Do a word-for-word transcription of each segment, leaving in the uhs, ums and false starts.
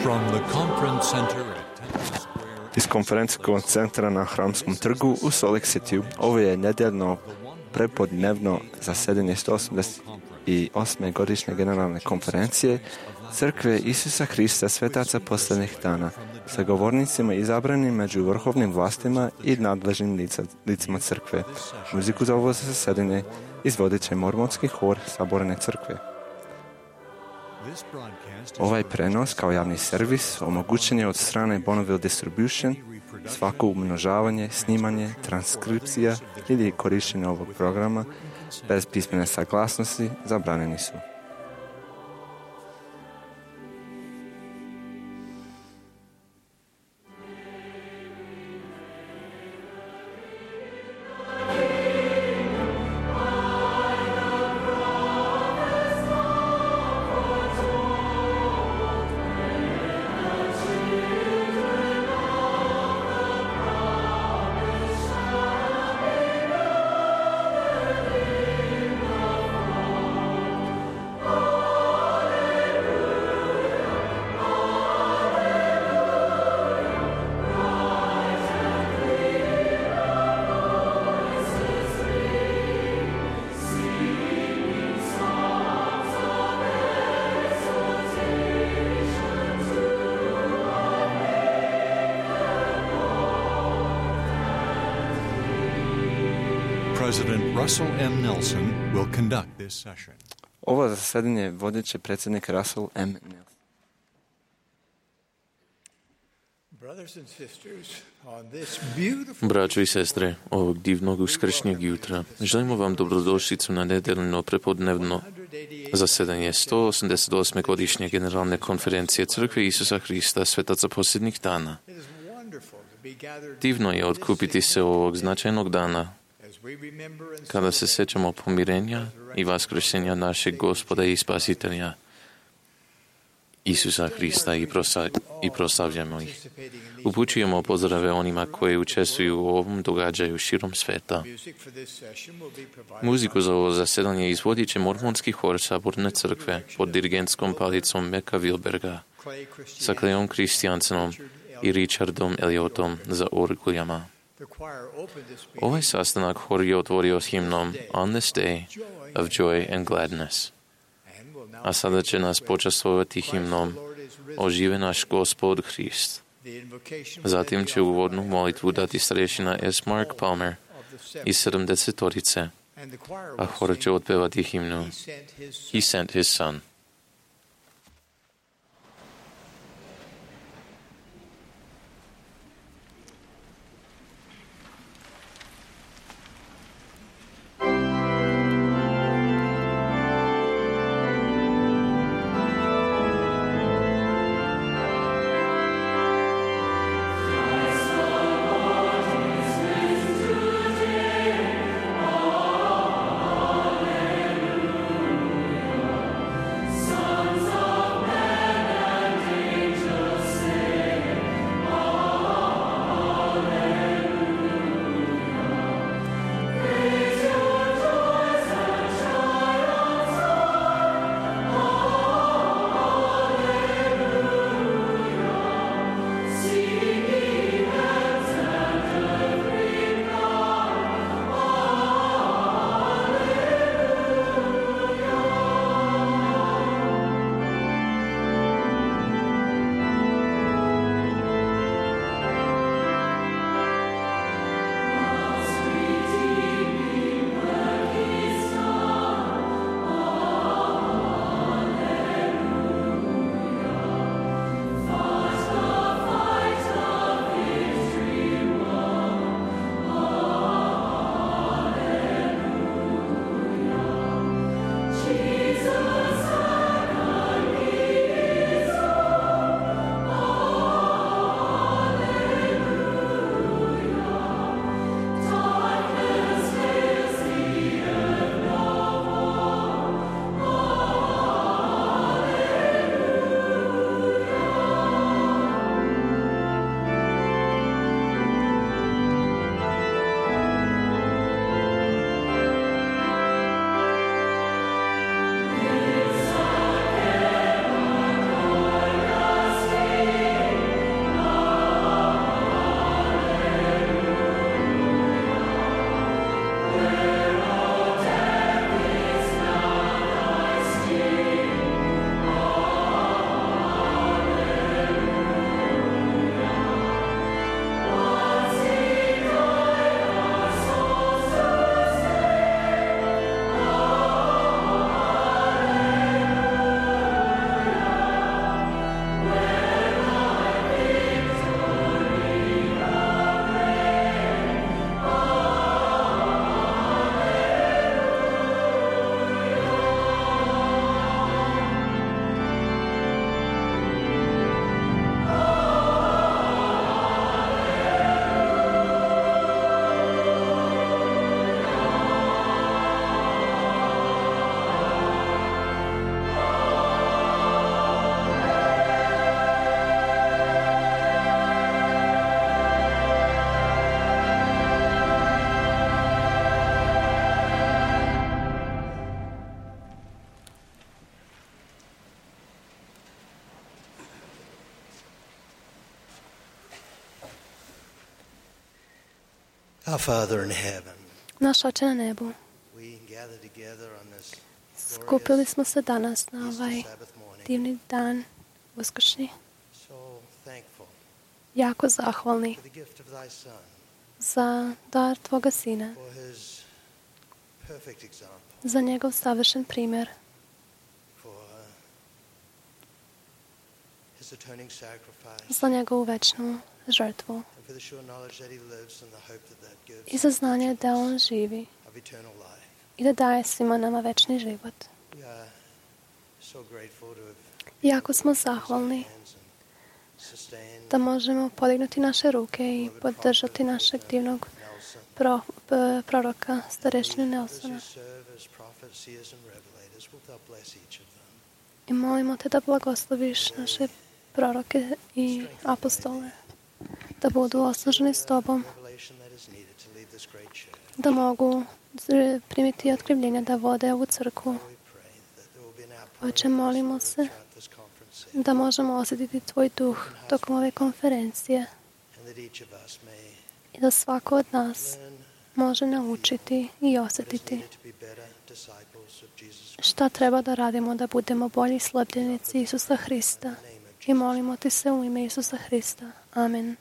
From the conference center at Temple Square. Iz konferencijskog centra na Hramskom trgu u Salt Lake City ovo je nedeljno prepodnevno zasedanje sto osamdeset osme godišnje generalne konferencije Crkve Isusa Hrista svetaca posljednjih dana sa govornicima izabranim među vrhovnim vlastima i nadležnim lica, licima crkve. Muziku za ovo zasedanje izvodit će mormonski hor Saborne crkve. Ovaj prenos kao javni servis omogućen je od strane Bonneville Distribution. Svako umnožavanje, snimanje, transkripcija ili korištenje ovog programa bez pismene saglasnosti zabranjeni su. President Russell M. Nelson will conduct this session. Ovo zasedanje vodit će predsjednik Russell M. Nelson. Braćo i sestre, ovog divnog uskršnjeg jutra, želimo vam dobrodošlicu na nedeljno prepodnevno zasedanje sto osamdeset osme godišnje generalne konferencije Crkve Isusa Hrista svetaca posljednjih dana. Divno je otkupiti se ovog značajnog dana kada se sjećamo pomirenja i vaskrsenja našeg Gospoda i Spasitelja Isusa Hrista i, prosa, i proslavljamo ih. Upućujemo pozdrave onima koji učestvuju u ovom događaju širom sveta. Muziku za ovo zasedanje izvodit će mormonski hor Saborne crkve pod dirigentskom palicom Meka Wilberga sa Clayom Christiansenom i Richardom Elliotom za orguljama. Ovaj sastanak hor je otvorio s himnom On this day of joy and gladness. A sada će nas počastvovati himnom Ožive naš Gospod Hrist. Zatim će uvodnu molitvu dati starješina S. Mark Palmer iz sedamdesetorice, a hor će otpevati himnu He sent his son. Our Father in heaven, Naš Oče na nebu, we gather together on this skupili smo se danas na ovaj Sabbath morning, divni dan, uskršnji, so thankful jako zahvalni for the gift of thy Son, za dar Tvoga Sina, for his perfect example, za njegov savršen primjer, for uh, his atoning sacrifice, za njegovu večnu žrtvu and for the sure knowledge that he lives and the hope that that gives i za znanje da On živi of eternal life. i da daje svima nama večni život. We are so grateful to have Jako smo zahvalni hands and sustain da možemo podignuti naše ruke i podržati našeg divnog Nelson, pro, p- proroka, starešinu those Nelsona. who serve as prophets, seers and revelators. Wilt thou bless each of them? I molimo te da blagosloviš naše proroke i apostole, da budu osnaženi s Tobom, Revelation that is needed to lead this great church. da mogu z- primiti otkrivljenja da vode ovu crkvu. We pray that there will be an outpouring Oče, of thy molimo Spirit se throughout this conference da možemo osjetiti Tvoj duh tokom ove konferencije and that each of us may i da svako od nas learn može naučiti i what is osjetiti needed to be better disciples of Jesus Christ. šta treba da radimo da budemo bolji sljedbenici Isusa Hrista. I molimo Ti se u ime Isusa Hrista. Amen.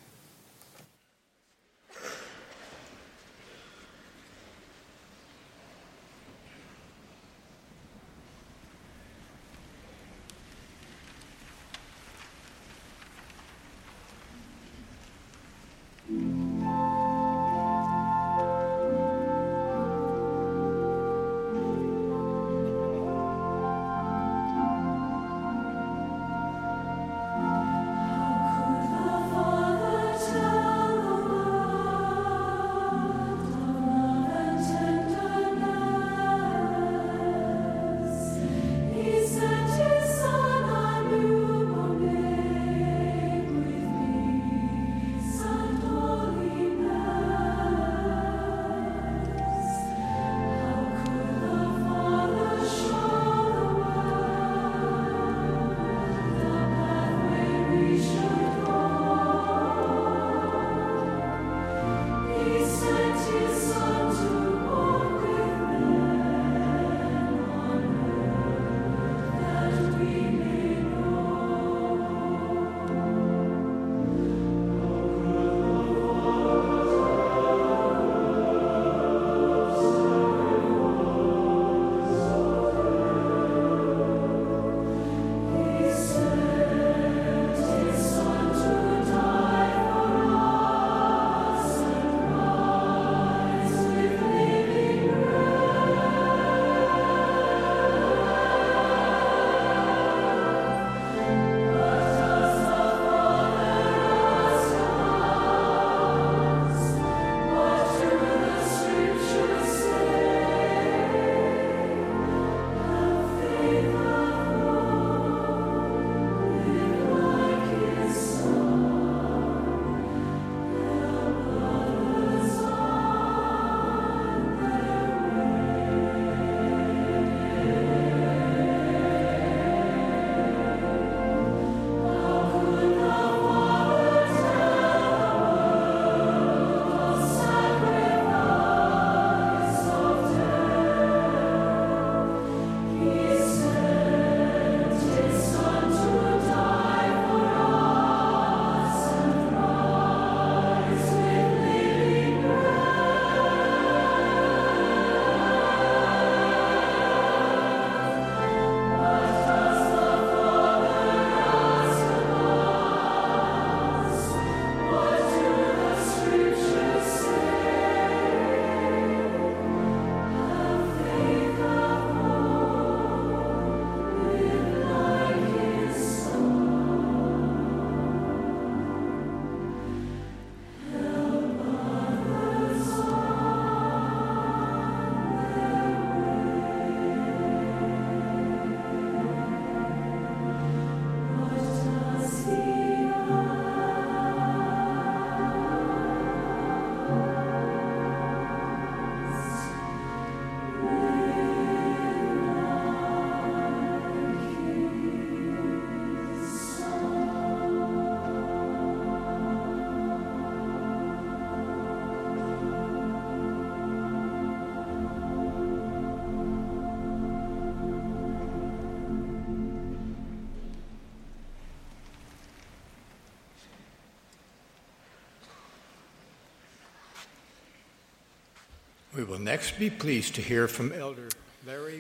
Father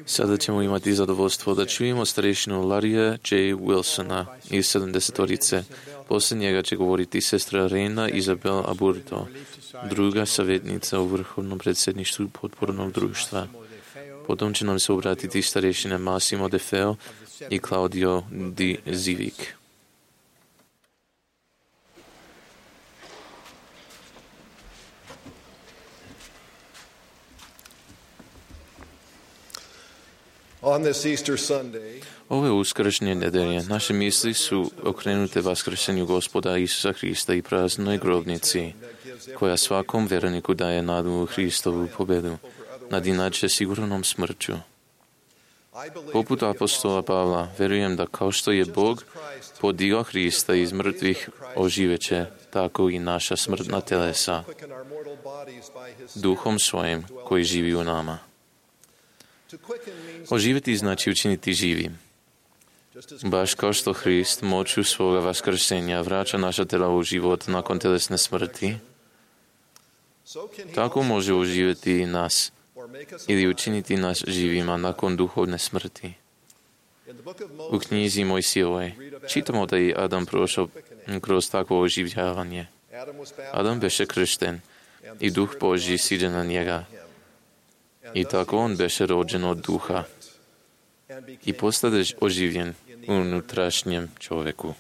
Sada ćemo imati zadovoljstvo da čujemo starešinu Larrya J. Wilsona iz sedamdesetorice. Poslije njega će govoriti sestra Reina Isabel Aburto, druga savjetnica u Vrhovnom predsjedništvu potpornog društva. Potom će nam se obratiti starešine Massimo De Feo i Claudio Di Zivic. Ove uskršnje nedelje naše misli su okrenute vaskrsenju Gospoda Isusa Hrista i praznoj grobnici, koja svakom vjerniku daje nadu u Hristovu pobedu nad inače sigurnom smrću. Poput apostola Pavla, vjerujem da kao što je Bog podigao Hrista iz mrtvih oživeće, tako i naša smrtna telesa, duhom svojim koji živi u nama. Oživjeti znači učiniti živim. Baš kao što Hrist moću svoga vaskrsenja vraća naša tela u život nakon telesne smrti, tako može oživjeti i nas ili učiniti nas živima nakon duhovne smrti. U knjizi Mojsijevoj čitamo da je Adam prošao kroz takvo oživljavanje. Adam beše kršten i duh Božji siđe na njega. I tako on beše rođen od duha i postade oživljen u unutrašnjem čovjeku.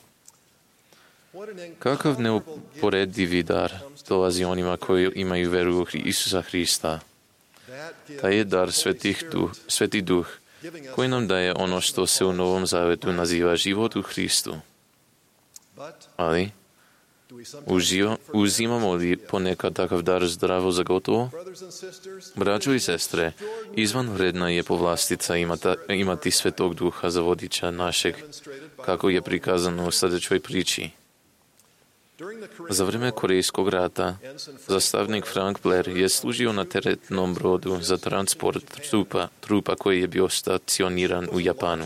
Kakav neuporedivi dar dolazi onima koji imaju veru u Isusa Hrista. Taj je dar svetih duh, sveti duh, koji nam daje ono što se u Novom Zavetu naziva život u Hristu. Ali, uživo, uzimamo li ponekad takav dar zdravo za gotovo? Braćo i sestre, izvanredna je povlastica imata, imati svetog duha za vodiča našeg, kako je prikazano u sljedećoj priči. Za vrijeme Korejskog rata zastavnik Frank Blair je služio na teretnom brodu za transport trupa, trupa koji je bio stacioniran u Japanu.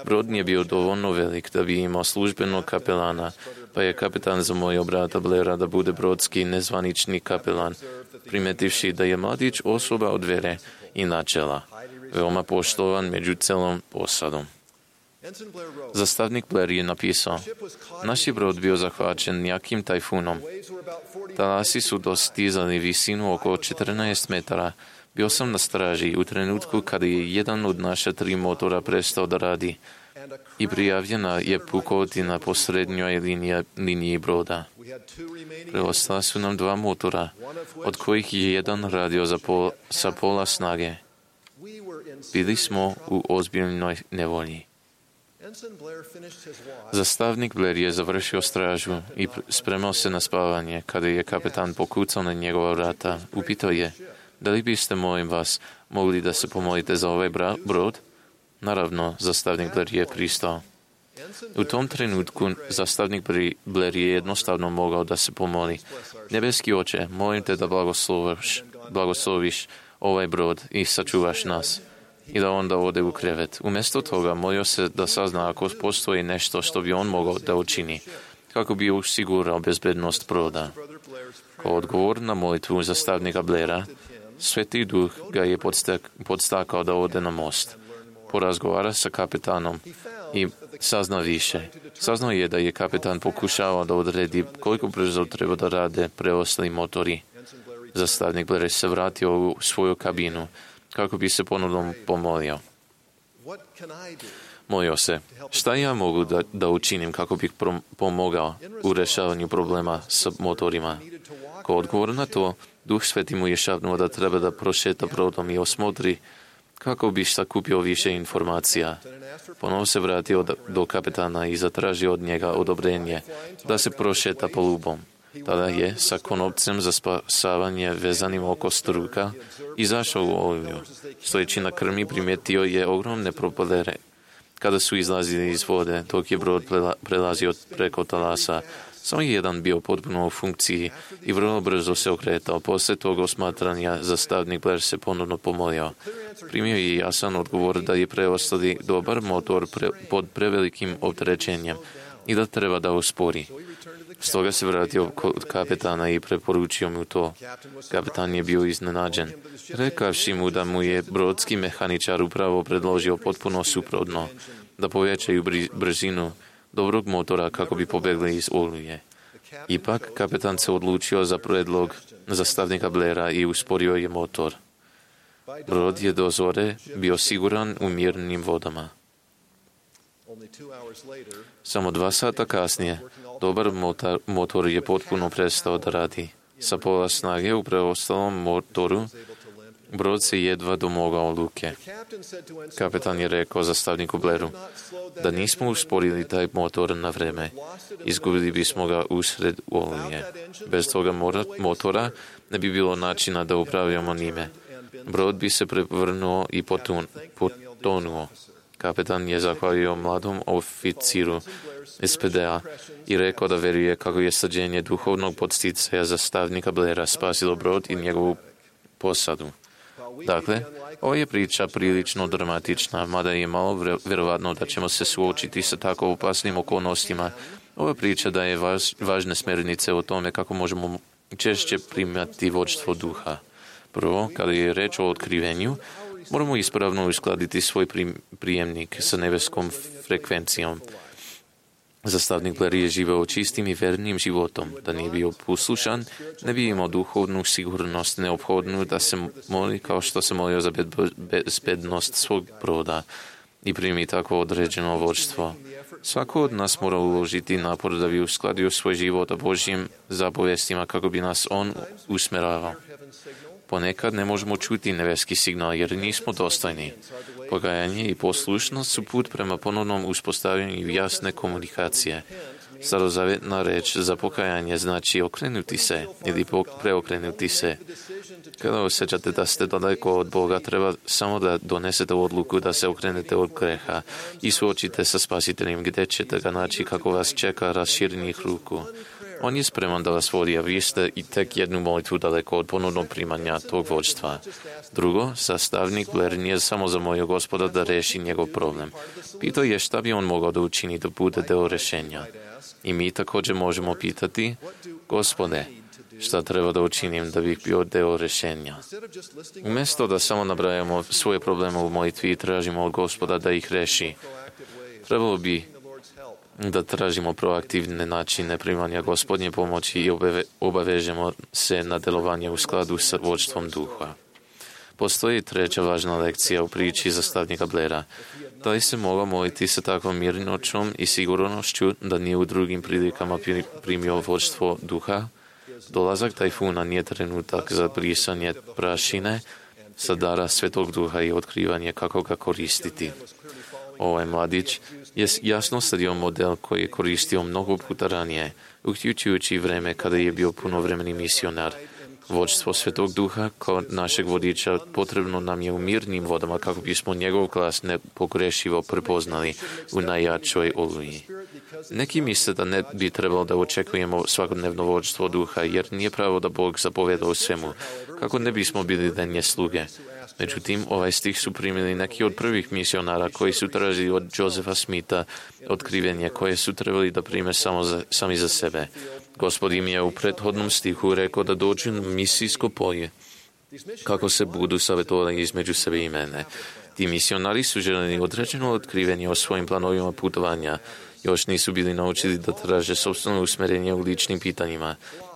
Brod nije bio dovoljno velik da bi imao službenog kapelana, pa je kapetan zamolio brata Blaira da bude brodski nezvanični kapelan, primetivši da je mladić osoba od vere i načela, veoma poštovan među celom posadom. Zastavnik Blair je napisao: naš je brod bio zahvaćen jakim tajfunom. Talasi su dostizali visinu oko četrnaest metara. Bio sam na straži u trenutku kada je jedan od naša tri motora prestao da radi i prijavljena je pukotina po srednjoj liniji, liniji broda. Preostala su nam dva motora, od kojih je jedan radio za pol, sa pola snage. Bili smo u ozbiljnoj nevolji. Zastavnik Blair je završio stražu i spremao se na spavanje kada je kapetan pokucao na njegova vrata. Upitao je: da li biste, molim vas, mogli da se pomolite za ovaj brod? Naravno, zastavnik Blair je pristao. U tom trenutku zastavnik Blair je jednostavno mogao da se pomoli: nebeski oče, molim te da blagosloviš, blagosloviš ovaj brod i sačuvaš nas. I da onda ode u krevet. Umjesto toga molio se da sazna ako postoji nešto što bi on mogao da učini, kako bi osigurao bezbednost broda. Kao odgovor na molitvu zastavnika Blaira, Sveti duh ga je podstak, podstakao da ode na most. Porazgovara sa kapetanom i sazna više. Saznao je da je kapetan pokušao da odredi koliko brzo treba da rade preostali motori. Zastavnik Blair se vratio u svoju kabinu kako bi se ponovno pomolio. Molio se: šta ja mogu da, da učinim kako bih prom, pomogao u rešavanju problema sa motorima? Kao odgovor na to, Duh Sveti mu je šapnuo da treba da prošeta brodom i osmotri kako bi sakupio više informacija. Ponovo se vratio do kapetana i zatražio od njega odobrenje da se prošeta polubom. Tada je sa konopcem za spasavanje vezanim oko struka izašao u olju. Stojeći na krmi primetio je ogromne propelere kada su izlazili iz vode, dok je brod prelazio preko talasa. Samo jedan bio potpuno u funkciji i vrlo brzo se okretao. Posle tog osmatranja zastavnik Blair se ponovno pomolio. Primio je jasan odgovor da je preostali dobar motor pre, pod prevelikim opterećenjem i da treba da uspori. Stoga se vratio kod kapetána i preporučio mu to. Kapetán je bio iznenađen. Rekavši mu da mu je brodski mehaničar upravo predložio potpuno suprotno, da povećaju brzinu dobrog motora kako bi pobegli iz oluje. Ipak, kapetán se odlučio za predlog zastavnika Blaira i usporio je motor. Brod je do zore bio siguran u mirnim vodama. Samo dva sata kasnije, dobar motor, motor je potpuno prestao da radi. Sa pola snage u preostalom motoru, brod se jedva domogao luke. Kapetan je rekao zastavniku Blairu, da nismo usporili taj motor na vreme, izgubili bismo ga usred oluje. Bez toga motora ne bi bilo načina da upravljamo njime. Brod bi se prevrnuo i potun, potonuo. Kapetan je zahvalio mladom oficiru S P D-a i rekao da veruje kako je sađenje duhovnog podsticaja zastavnika Blaira spasilo brod i njegovu posadu. Dakle, ova je priča prilično dramatična, mada je malo vjerovatno da ćemo se suočiti sa tako opasnim okolnostima. Ova priča daje važ, važne smjernice o tome kako možemo češće primati vodstvo duha. Prvo, kada je reč o otkrivenju, moramo ispravno uskladiti svoj prijemnik sa nebeskom frekvencijom. Zastavnik Blair je živeo čistim i vernim životom. Da nije bio poslušan, ne bi imao duhovnu sigurnost neophodnu da se moli kao što se molio za bezbednost svog broda i primi tako određeno vodstvo. Svako od nas mora uložiti napor da bi uskladio svoj život o Božjim zapovestima kako bi nas On usmeravao. Ponekad ne možemo čuti nebeski signal jer nismo dostojni. Pokajanje i poslušnost su put prema ponovnom uspostavljanju jasne komunikacije. Starozavjetna reč za pokajanje znači okrenuti se ili preokrenuti se. Kada osjećate da ste daleko od Boga, treba samo da donesete odluku da se okrenete od greha i suočite sa Spasiteljem gdje ćete ga naći kako vas čeka raširenih ruku. On je spreman da vas vodi, a vi ste i tek jednu molitvu daleko od ponovnog primanja tog vođstva. Drugo, sastavnik Blair nije samo zamolio Gospoda da reši njegov problem. Pitao je šta bi on mogao da učini da bude deo rešenja. I mi također možemo pitati, Gospode, šta treba da učinim da bih bio deo rešenja? Umjesto da samo nabrajamo svoje probleme u molitvi i tražimo od Gospoda da ih reši, trebalo bi da tražimo proaktivne načine primanja Gospodnje pomoći i obave, obavežemo se na delovanje u skladu sa vodstvom duha. Postoji treća važna lekcija u priči zastavnika Blaira. Da li se mogao moliti sa takvom mirnoćom i sigurnošću da nije u drugim prilikama primio vodstvo duha? Dolazak tajfuna nije trenutak za brisanje prašine sa dara Svetog Duha i otkrivanje kako ga koristiti. Ovaj mladić je jasno sledio model koji je koristio mnogo puta ranije, uključujući vreme kada je bio punovremeni misionar. Vodstvo Svetog Duha kao našeg vodiča potrebno nam je u mirnim vodama kako bismo njegov glas nepogrešivo prepoznali u najjačoj oluji. Neki misle da ne bi trebalo da očekujemo svakodnevno vodstvo Duha, jer nije pravo da Bog zapoveda o svemu, kako ne bismo bili denje sluge. Međutim, ovaj stih su primili neki od prvih misionara koji su tražili od Josefa Smitha otkrivenje koje su trebali da prime samo za, sami za sebe. Gospod im je u prethodnom stihu rekao da dođu na misijsko polje, kako se budu savjetovali između sebe i mene. Ti misionari su želeli određeno otkrivenje o svojim planovima putovanja. Još nisu bili naučili da traže sopstveno usmjerenje u ličnim pitanjima.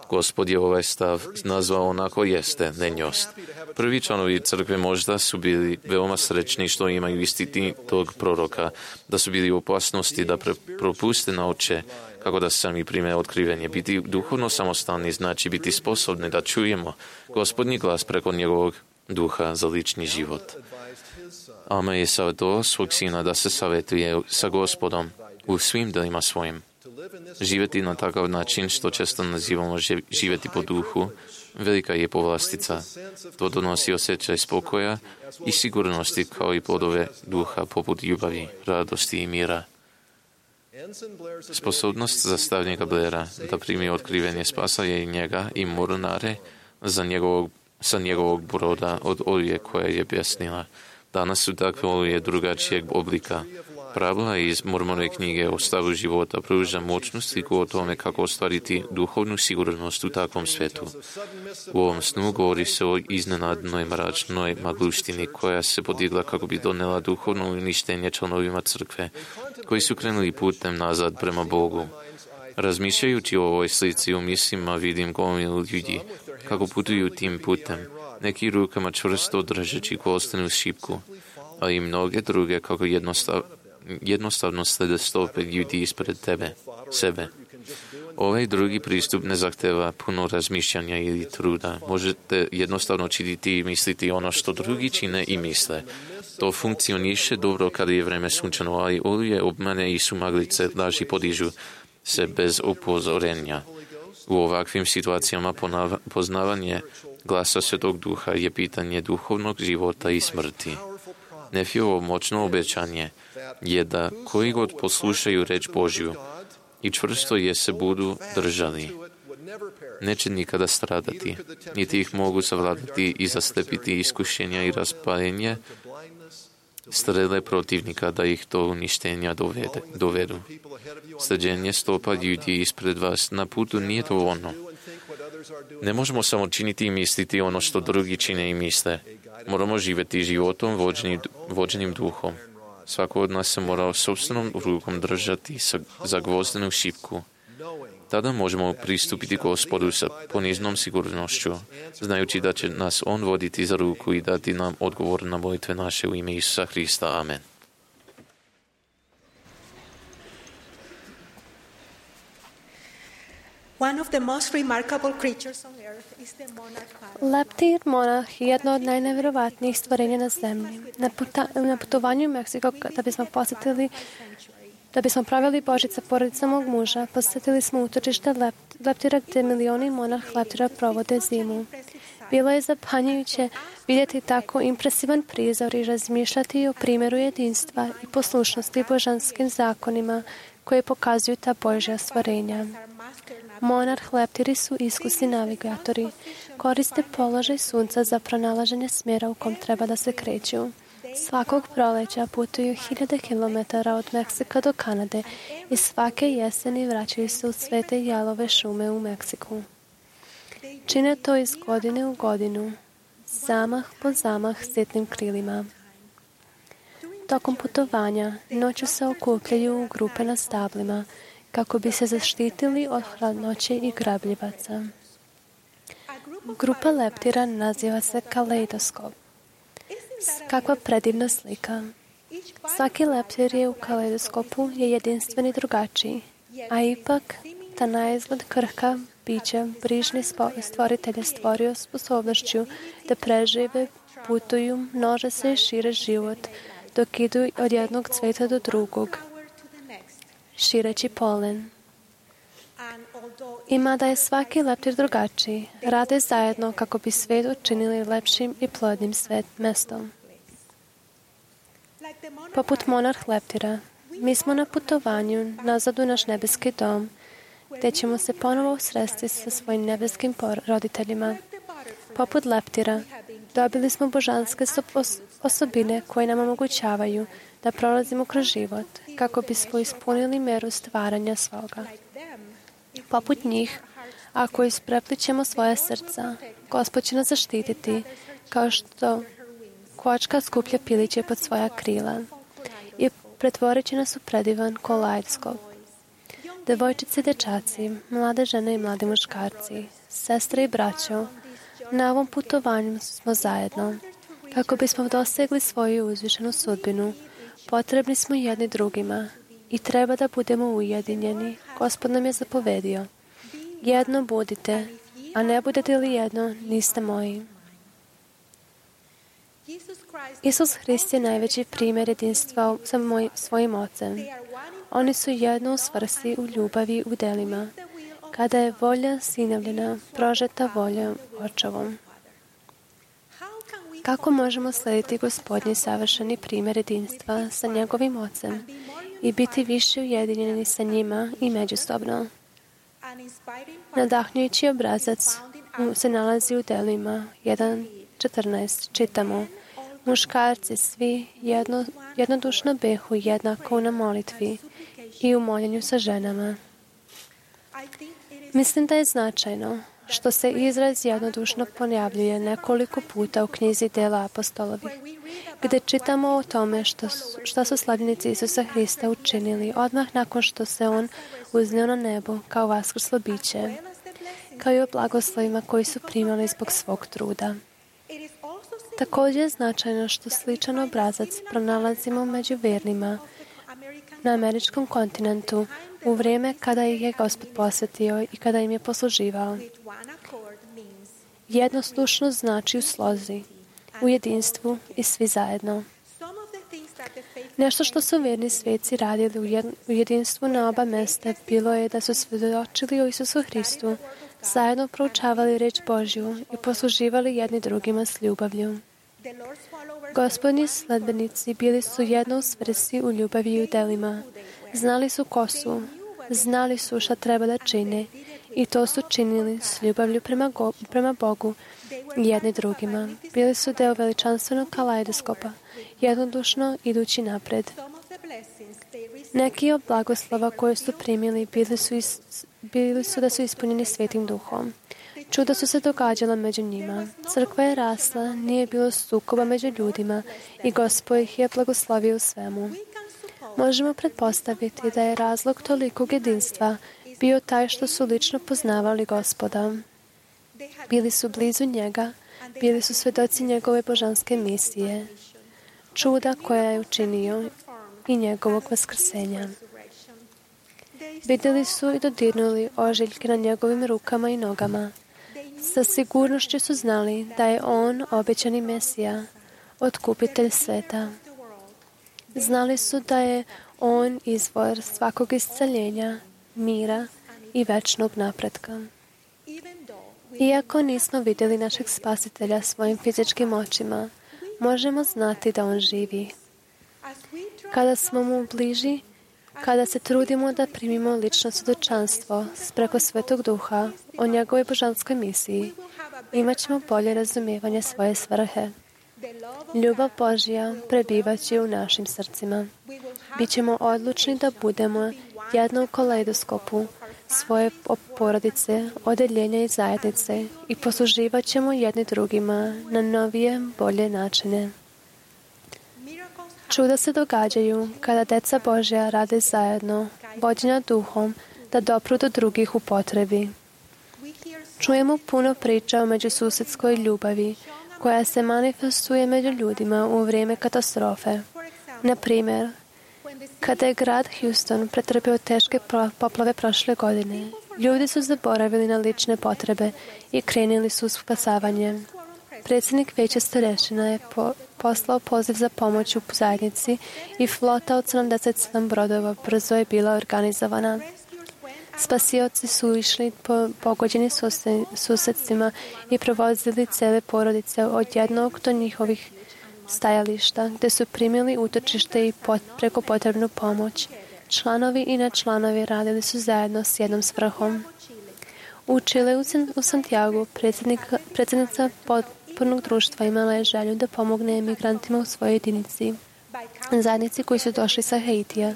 Gospod je ovaj stav nazvao onako jeste, nenjost. Prvi članovi crkve možda su bili veoma srećni što imaju isti tog proroka, da su bili u opasnosti da pre, propuste nauče kako da sami prime otkrivenje. Biti duhovno samostalni znači biti sposobni da čujemo Gospodnji glas preko njegovog duha za lični život. Alma je savjetovao svog sina da se savjetuje sa Gospodom u svim delima svojim. Živjeti na takav način, što često nazivamo živjeti po duhu, velika je povlastica. To donosi osjećaj spokoja i sigurnosti kao i plodove duha poput ljubavi, radosti i mira. Sposobnost zastavnika Blaira da primi otkrivenje spasa je i njega i mornare za njegovog, sa njegovog broda od oluje koja je bjesnila. Danas su takve oluje drugačijeg oblika. pravila iz Mormonove knjige o stavu života pruža moćnu sliku o tome kako ostvariti duhovnu sigurnost u takvom svetu. U ovom snu govori se o iznenadnoj mračnoj magluštini koja se podigla kako bi donela duhovno uništenje članovima crkve koji su krenuli putem nazad prema Bogu. Razmišljajući o ovoj slici u mislima vidim gomilu ljudi kako putuju tim putem, neki rukama čvrsto držeći kolstenu šipku, a i mnoge druge kako jednostav, jednostavno slede stope ljudi ispred tebe, sebe. Ovaj drugi pristup ne zahteva puno razmišljanja ili truda. Možete jednostavno činiti i misliti ono što drugi čine i misle. To funkcioniše dobro kada je vreme sunčano, ali oluje, obmane i sumaglice laži podižu se bez upozorenja. U ovakvim situacijama poznavanje glasa Svetog Duha je pitanje duhovnog života i smrti. Nefiovo moćno obećanje je da koji god poslušaju reč Božju i čvrsto je se budu držali, neće nikada stradati, niti ih mogu savladati i zaslepiti iskušenja i raspalenje strele protivnika da ih do uništenja dovede, dovedu. Sleđenje stopa ljudi ispred vas na putu nije dovoljno. Ne možemo samo činiti i misliti ono što drugi čine i misle. Moramo živjeti životom vođenim, vođenim duhom. Svako od nas se mora sopstvenom rukom držati za gvozdenu šipku. Tada možemo pristupiti Gospodu sa poniznom sigurnošću, znajući da će nas On voditi za ruku i dati nam odgovor na molitve naše u ime Isusa Hrista. Amen. One of the most remarkable creatures on earth is the monarch parrot. Leptir monarh je jedno od najnevjerovatnijih stvorenja na zemlji. Na, puta, na putovanju u Meksiko da bismo posjetili Da bismo pravili Božić sa porodicom mog muža, posjetili smo utočište lept, leptira gdje milioni monarh leptira provode zimu. Bilo je zapanjujuće vidjeti tako impresivan prizor i razmišljati o primjeru jedinstva i poslušnosti božanskim zakonima koje pokazuju ta Božja stvorenja. Monarh leptiri su iskusni navigatori, koriste položaj sunca za pronalaženje smjera u kom treba da se kreću. Svakog proleća putuju hiljade kilometara od Meksika do Kanade i svake jeseni vraćaju se u svete jalove šume u Meksiku. Čine to iz godine u godinu, zamah po zamah sitnim krilima. Tokom putovanja noću se okupljaju u grupe na stablima kako bi se zaštitili od hladnoće i grabljivaca. Grupa leptira naziva se kaleidoskop. Kakva predivna slika. Svaki leptir je u kaleidoskopu je jedinstven i drugačiji, a ipak ta naizgled krhka bića brižni stvoritelj je stvorio sposobnošću da prežive, putuju, množe se i šire život, dok idu od jednog cveta do drugog, šireći polen. I mada je svaki leptir drugačiji, rade zajedno kako bi svet učinili lepšim i plodnim svet mestom. Poput monarh leptira, mi smo na putovanju nazad u naš nebeski dom, gdje ćemo se ponovo sresti sa svojim nebeskim roditeljima. Poput leptira, dobili smo božanske osobine koje nam omogućavaju da prolazimo kroz život, kako bismo ispunili meru stvaranja svoga. Poput njih, ako ispreplićemo svoje srca, Gospod će nas zaštititi, kao što kočka skuplja piliće pod svoja krila i pretvorit će nas u predivan kaleidoskop. Devojčice i dečaci, mlade žene i mladi muškarci, sestre i braćo, na ovom putovanju smo zajedno. Kako bismo dosegli svoju uzvišenu sudbinu, potrebni smo jedni drugima i treba da budemo ujedinjeni. Gospod nam je zapovedio: jedno budite, a ne budete li jedno, niste moji. Isus Hrist je najveći primjer jedinstva sa moj, svojim Ocem. Oni su jedno u svrsi, u ljubavi, u delima. Kada je volja sinovljena, prožeta voljom Očevom. Kako možemo slediti Gospodnji savršeni primjer jedinstva sa njegovim Ocem i biti više ujedinjeni sa njima i međusobno? Nadahnjujući obrazac se nalazi u delima jedan četrnaest. Čitamo: Muškarci svi jedno, jednodušno behu jednako na molitvi i u moljenju sa ženama. Mislim da je značajno što se izraz jednodušno ponavljuje nekoliko puta u knjizi Dela apostolovi, gdje čitamo o tome što su, što su slavljenici Isusa Hrista učinili odmah nakon što se On uznio na nebo kao vaskrslo biće, kao i o blagoslovima koji su primali zbog svog truda. Također je značajno što sličan obrazac pronalazimo među vjernima na američkom kontinentu u vrijeme kada ih je Gospod posvetio i kada im je posluživao. Jednoslušno znači u slozi, u jedinstvu i svi zajedno. Nešto što su vjerni sveci radili u jedinstvu na oba mjesta bilo je da su svjedočili o Isusu Hristu, zajedno proučavali reč Božju i posluživali jedni drugima s ljubavlju. Gospodnji sledbenici bili su jedno u svrsi u ljubavi i u delima. Znali su ko su, znali su šta treba da čine i to su činili s ljubavlju prema, go, prema Bogu i jedni drugima. Bili su deo veličanstvenog kalajdoskopa, jednodušno idući napred. Neki od blagoslova koje su primili bili su, is, bili su da su ispunjeni Svetim Duhom. Čuda su se događala među njima. Crkva je rasla, nije bilo sukoba među ljudima i Gospod ih je blagoslovio u svemu. Možemo pretpostaviti da je razlog tolikog jedinstva bio taj što su lično poznavali Gospoda. Bili su blizu njega, bili su svedoci njegove božanske misije, čuda koja je učinio i njegovog vaskrsenja. Vidjeli su i dodirnuli ožiljke na njegovim rukama i nogama. Sa sigurnošću su znali da je on obećani Mesija, otkupitelj sveta. Znali su da je on izvor svakog isceljenja, mira i večnog napretka. Iako nismo vidjeli našeg spasitelja svojim fizičkim očima, možemo znati da on živi. Kada smo mu bliži, kada se trudimo da primimo lično svjedočanstvo preko Svetog Duha o njegovoj božanskoj misiji, imat ćemo bolje razumijevanje svoje svrhe. Ljubav Božja prebivaće u našim srcima. Bićemo odlučni da budemo jedno u kalejdoskopu svoje porodice, odeljenja i zajednice i posluživat ćemo jedni drugima na novije, bolje načine. Čuda se događaju kada deca Božja rade zajedno, vođena duhom, da dopru do drugih u potrebi. Čujemo puno priča o međususedskoj ljubavi, koja se manifestuje među ljudima u vrijeme katastrofe. Na primjer, kada je grad Houston pretrpio teške poplave prošle godine, ljudi su zaboravili na lične potrebe i krenuli su u spasavanje. Predsjednik Vijeća starešina je po, poslao poziv za pomoć u zajednici i flota od sedamdeset sedam brodova brzo je bila organizovana. Spasioci su išli po pogođenim susjedstvima i provozili cele porodice od jednog do njihovih stajališta, gdje su primili utočište i pot, preko potrebnu pomoć. Članovi i nečlanovi radili su zajedno s jednom svrhom. U Čile u Santiago predsjednica potpornog društva imala je želju da pomogne emigrantima u svojoj jedinici, zajednici koji su došli sa Haitija.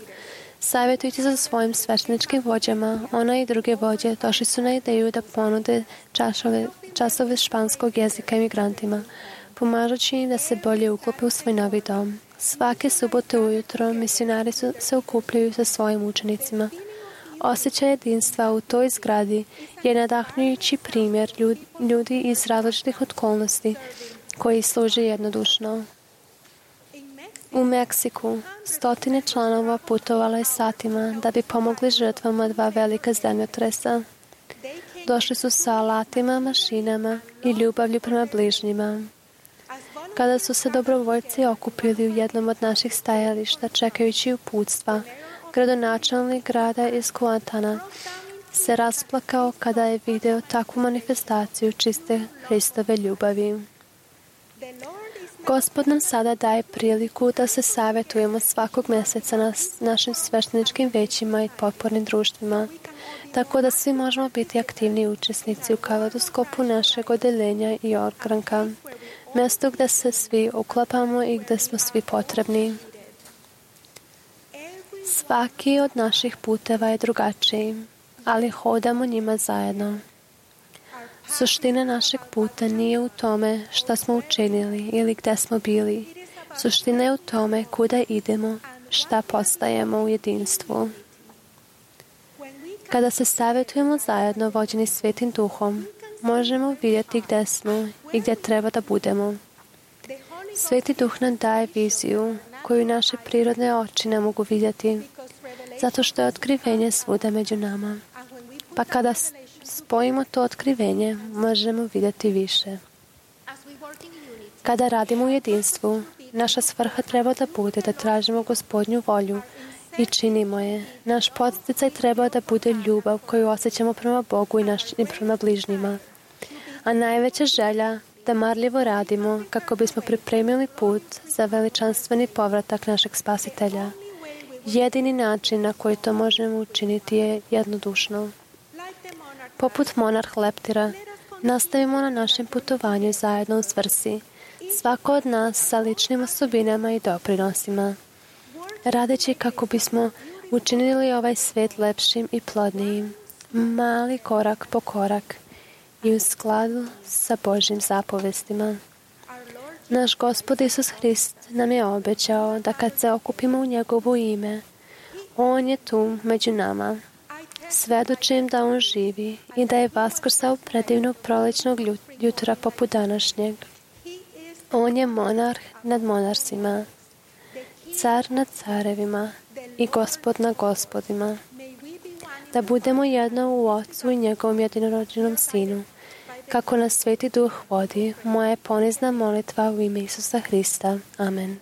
Savjetujući sa svojim svešteničkim vođama, ona i druge vođe došli su na ideju da ponude časove, časove španskog jezika emigrantima, pomažući im da se bolje uklope u svoj novi dom. Svake subote ujutro misionari su, se okupljaju sa svojim učenicima. Osjećaj jedinstva u toj zgradi je nadahnujući primjer ljudi iz različitih okolnosti koji služe jednodušno. U Meksiku stotine članova putovala je satima da bi pomogli žrtvama dva velika zemljotresa. Došli su sa alatima, mašinama i ljubavlju prema bližnjima. Kada su se dobrovoljci okupili u jednom od naših stajališta čekajući uputstva, gradonačelnik grada iz Kuantana se rasplakao kada je video takvu manifestaciju čiste Hristove ljubavi. Gospod nam sada daje priliku da se savjetujemo svakog mjeseca na našim svešteničkim većima i potpornim društvima, tako da svi možemo biti aktivni učesnici u kaleidoskopu našeg odeljenja i ogranka. mjesto gdje se svi uklapamo i gdje smo svi potrebni. Svaki od naših puteva je drugačiji, ali hodamo njima zajedno. Suština našeg puta nije u tome šta smo učinili ili gdje smo bili. Suština je u tome kuda idemo, šta postajemo u jedinstvu. Kada se savjetujemo zajedno vođeni Svetim Duhom, možemo vidjeti gdje smo i gdje treba da budemo. Sveti Duh nam daje viziju koju naše prirodne oči ne mogu vidjeti, zato što je otkrivenje svuda među nama. Pa kada spojimo to otkrivenje, možemo vidjeti više. Kada radimo u jedinstvu, naša svrha treba da bude da tražimo Gospodnju volju i činimo je. Naš podsticaj treba da bude ljubav koju osjećamo prema Bogu i, naš, i prema bližnjima. A najveća želja da marljivo radimo kako bismo pripremili put za veličanstveni povratak našeg Spasitelja. Jedini način na koji to možemo učiniti je jednodušno. Poput monarh leptira, nastavimo na našem putovanju zajedno u svrsi, svako od nas sa ličnim osobinama i doprinosima, radeći kako bismo učinili ovaj svijet lepšim i plodnijim, mali korak po korak i u skladu sa Božjim zapovestima. Naš Gospod Isus Hrist nam je obećao da kad se okupimo u njegovo ime, On je tu među nama. Svedočim da On živi i da je vaskrsao predivnog prolećnog jutra poput današnjeg. On je monarh nad monarsima, car nad carevima i gospod nad gospodima. Da budemo jedno u Otcu i njegovom jedinorođenom Sinu. Kako nas Sveti Duh vodi, moja je ponizna molitva u ime Isusa Hrista. Amen.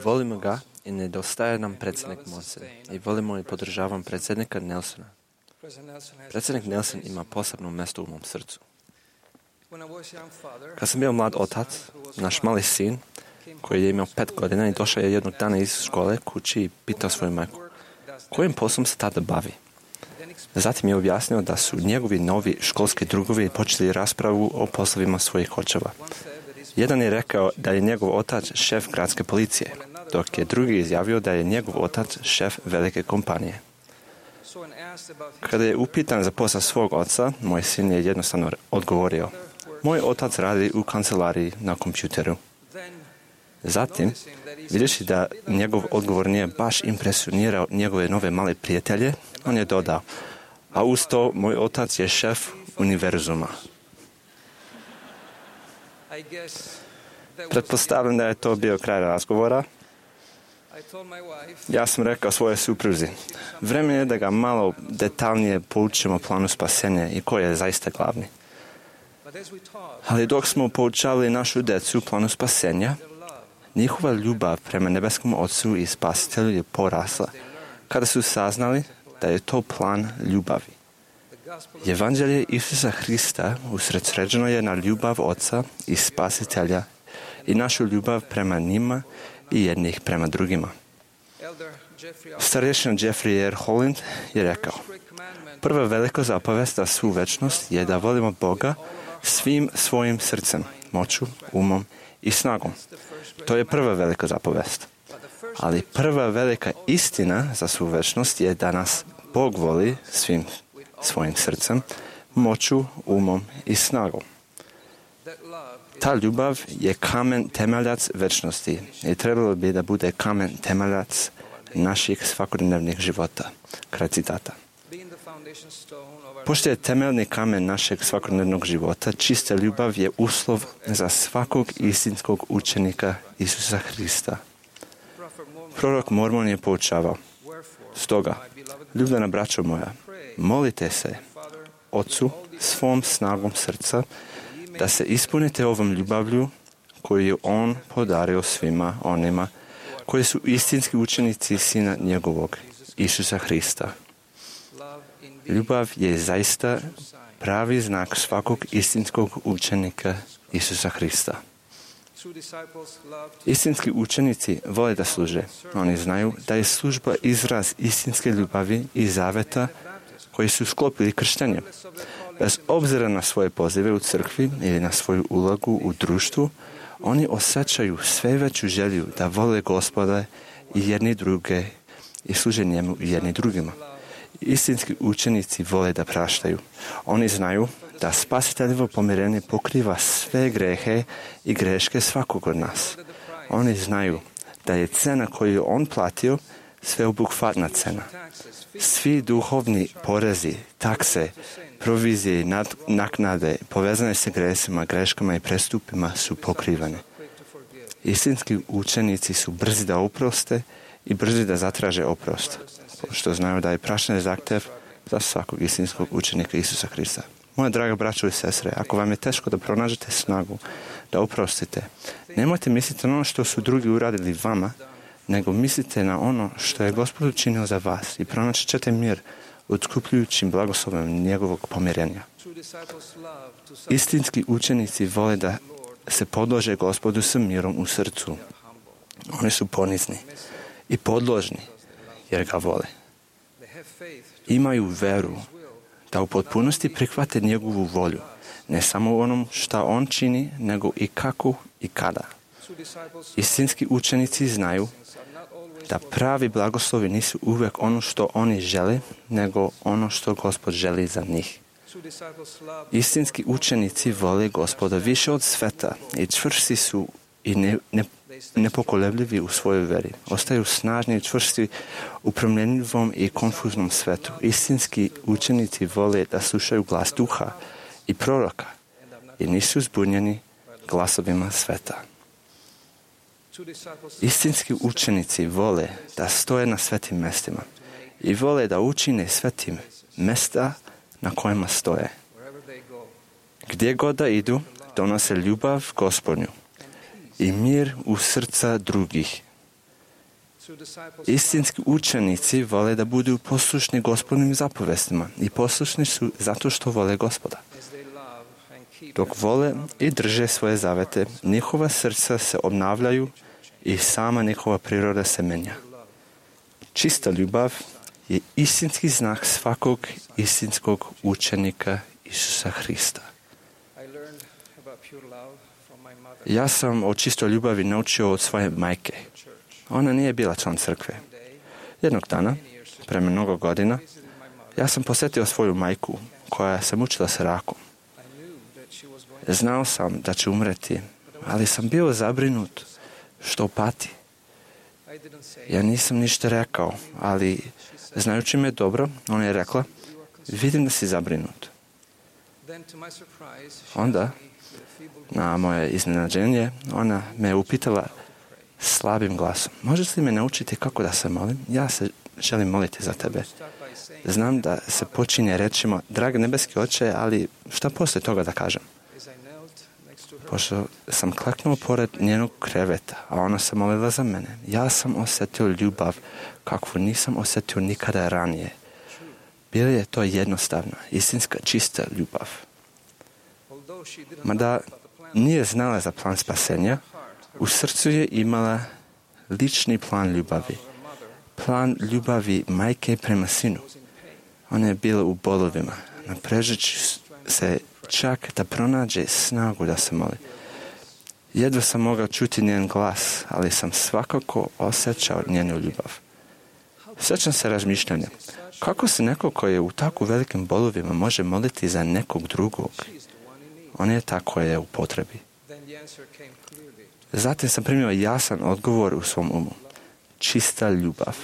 Volimo ga i nedostaje nam predsjednik Monsen. I volimo i podržavam predsjednika Nelsona. Predsjednik Nelson ima posebno mjesto u mom srcu. Kad sam bio mlad otac, naš mali sin, koji je imao pet godina i došao je jednog dana iz škole kući i pitao svoju majku, kojim poslom se tada bavi? Zatim je objasnio da su njegovi novi školski drugovi počeli raspravu o poslovima svojih očeva. Jedan je rekao da je njegov otac šef gradske policije, dok je drugi izjavio da je njegov otac šef velike kompanije. Kada je upitan za posao svog oca, moj sin je jednostavno odgovorio, moj otac radi u kancelariji na kompjuteru. Zatim, vidiš da njegov odgovor nije baš impresionirao njegove nove male prijatelje, on je dodao, a uz to moj otac je šef univerzuma. Pretpostavljam da je to bio kraj razgovora. Ja sam rekao svojoj supruzi, vrijeme je da ga malo detaljnije poučimo o planu spasenja i koji je zaista glavni. Ali dok smo poučavali našu djecu planu spasenja, njihova ljubav prema nebeskom Otcu i Spasitelju je porasla kada su saznali da je to plan ljubavi. Evanđelje Isusa Hrista usredsređeno je na ljubav Oca i Spasitelja i našu ljubav prema njima i jednih prema drugima. Starješina Jeffrey R. Holland je rekao, prva velika zapovest za svu večnost je da volimo Boga svim svojim srcem, moću, umom i snagom. To je prva velika zapovest. Ali prva velika istina za svu večnost je da nas Bog voli svim svojim srcem, moću, umom i snagom. Ta ljubav je kamen temeljac večnosti i trebalo bi da bude kamen temeljac naših svakodnevnih života. Kraj citata. Pošto je temeljni kamen našeg svakodnevnog života, čista ljubav je uslov za svakog istinskog učenika Isusa Hrista. Prorok Mormon je poučavao, stoga, ljubljena braćo moja, molite se Otcu svom snagom srca da se ispunite ovom ljubavlju koju je On podario svima onima koji su istinski učenici Sina njegovog, Isusa Hrista. Ljubav je zaista pravi znak svakog istinskog učenika Isusa Hrista. Istinski učenici vole da služe. Oni znaju da je služba izraz istinske ljubavi i zaveta koji su sklopili kršćanje. Bez obzira na svoje pozive u crkvi ili na svoju ulogu u društvu, oni osjećaju sve veću želju da vole Gospoda i jedni druge i služe njemu i jedni drugima. Istinski učenici vole da praštaju. Oni znaju da spasiteljevo pomirenje pokriva sve grehe i greške svakog od nas. Oni znaju da je cena koju je on platio sveobuhvatna cena. Svi duhovni porezi, takse, provizije i naknade povezane sa gresima, greškama i prestupima su pokrivane. Istinski učenici su brzi da oproste i brzi da zatraže oprost, što znaju da je praštanje zahtjev za svakog istinskog učenika Isusa Hrista. Moja draga braćo i sestre, ako vam je teško da pronađete snagu, da oprostite, nemojte misliti na ono što su drugi uradili vama, nego mislite na ono što je Gospod učinio za vas i pronaći ćete mir otkupljujućim blagoslovom njegovog pomirenja. Istinski učenici vole da se podlože Gospodu sa mirom u srcu. Oni su ponizni i podložni jer ga vole. Imaju veru da u potpunosti prihvate njegovu volju, ne samo u onom šta on čini, nego i kako i kada. Istinski učenici znaju da pravi blagoslovi nisu uvijek ono što oni žele, nego ono što Gospod želi za njih. Istinski učenici vole Gospoda više od sveta i čvrsti su i ne, ne, nepokolebljivi u svojoj veri. Ostaju snažni i čvrsti u promjenjivom i konfuznom svetu. Istinski učenici vole da slušaju glas duha i proroka i nisu zbunjeni glasovima sveta. Istinski učenici vole da stoje na svetim mestima i vole da učine svetim mesta na kojima stoje. Gdje god da idu, donose ljubav Gospodnju i mir u srca drugih. Istinski učenici vole da budu poslušni Gospodnim zapovestima i poslušni su zato što vole Gospoda. Dok vole i drže svoje zavete, njihova srca se obnavljaju i sama njihova priroda se menja. Čista ljubav je istinski znak svakog istinskog učenika Isusa Hrista. Ja sam o čistoj ljubavi naučio od svoje majke. Ona nije bila član crkve. Jednog dana, pre mnogo godina, ja sam posjetio svoju majku koja se mučila sa rakom. Znao sam da će umreti, ali sam bio zabrinut što pati. Ja nisam ništa rekao, ali znajući me dobro, ona je rekla, vidim da si zabrinut. Onda, na moje iznenađenje, ona me upitala slabim glasom, možeš li me naučiti kako da se molim? Ja se želim moliti za tebe. Znam da se počinje rečima, dragi nebeski oče, ali šta poslije toga da kažem? Pošto sam kleknuo pored njenog kreveta, a ona se molila za mene, ja sam osjetio ljubav kakvu nisam osjetio nikada ranije. Bila je to jednostavna, istinska, čista ljubav. Mada nije znala za plan spasenja, u srcu je imala lični plan ljubavi. Plan ljubavi majke prema sinu. Ona je bila u bolovima, naprežeći se čak da pronađe snagu da se moli. Jedva sam mogao čuti njen glas, ali sam svakako osjećao njenu ljubav. Sjećam se razmišljanja. Kako se neko koji je u tako velikim bolovima može moliti za nekog drugog? On je ta koja je u potrebi. Zatim sam primio jasan odgovor u svom umu. Čista ljubav.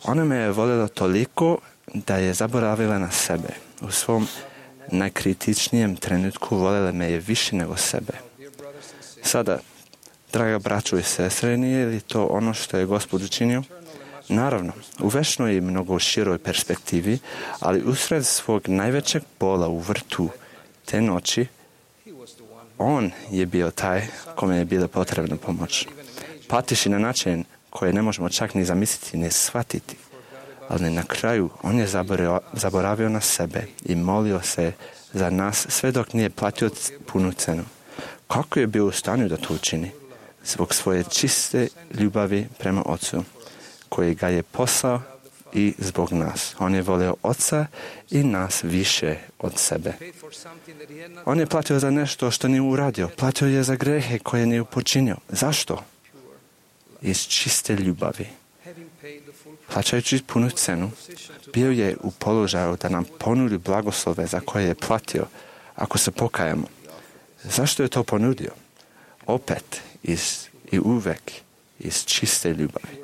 Ona me je voljela toliko da je zaboravila na sebe. U svom najkritičnijem trenutku voljela me je više nego sebe. Sada, draga braćo i sestre, nije li to ono što je Gospod učinio? Naravno, u večnoj i mnogo široj perspektivi, ali usred svog najvećeg bola u vrtu te noći, on je bio taj kome je bila potrebna pomoć. Patiši na način koje ne možemo čak ni zamisliti, ni shvatiti. Ali na kraju on je zaboravio, zaboravio na sebe i molio se za nas sve dok nije platio punu cenu. Kako je bio u stanju da to učini? Zbog svoje čiste ljubavi prema Ocu, koji ga je poslao i zbog nas. On je volio Oca i nas više od sebe. On je platio za nešto što nije uradio. Platio je za grehe koje nije počinio. Zašto? Iz čiste ljubavi. Plaćajući punu cenu, bio je u položaju da nam ponudi blagoslove za koje je platio ako se pokajemo. Zašto je to ponudio? Opet iz, i uvek iz čiste ljubavi.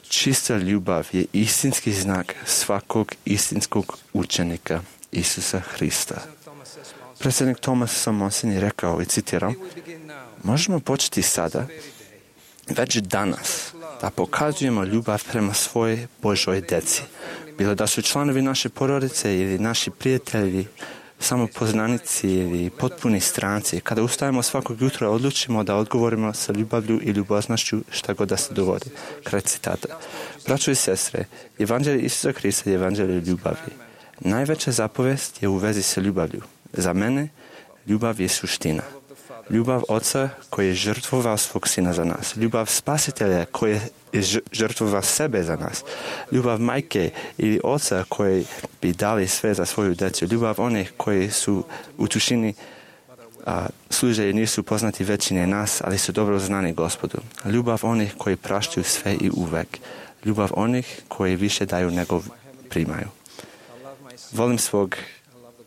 Čista ljubav je istinski znak svakog istinskog učenika Isusa Hrista. Predsjednik Thomas Samonsen je rekao, i citiram, možemo početi sada, već danas, da pokazujemo ljubav prema svojoj Božoj deci. Bilo da su članovi naše porodice ili naši prijatelji, samo poznanici ili potpuni stranci. Kada ustajemo svakog jutra, odlučimo da odgovorimo sa ljubavlju i ljubaznošću šta god da se dogodi. Kraj citata. Braćo i sestre, evanđelje Isusa Hrista je evanđelje ljubavi. Najveća zapovest je u vezi sa ljubavlju. Za mene, ljubav je suština. Ljubav Oca koji je žrtvovao svog Sina za nas. Ljubav Spasitelja koji je žrtvovao sebe za nas. Ljubav majke ili oca koji bi dali sve za svoju djecu. Ljubav onih koji su u tušini a, služe i nisu poznati većine nas, ali su dobro znani Gospodu. Ljubav onih koji praštaju sve i uvek. Ljubav onih koji više daju nego primaju. Volim svog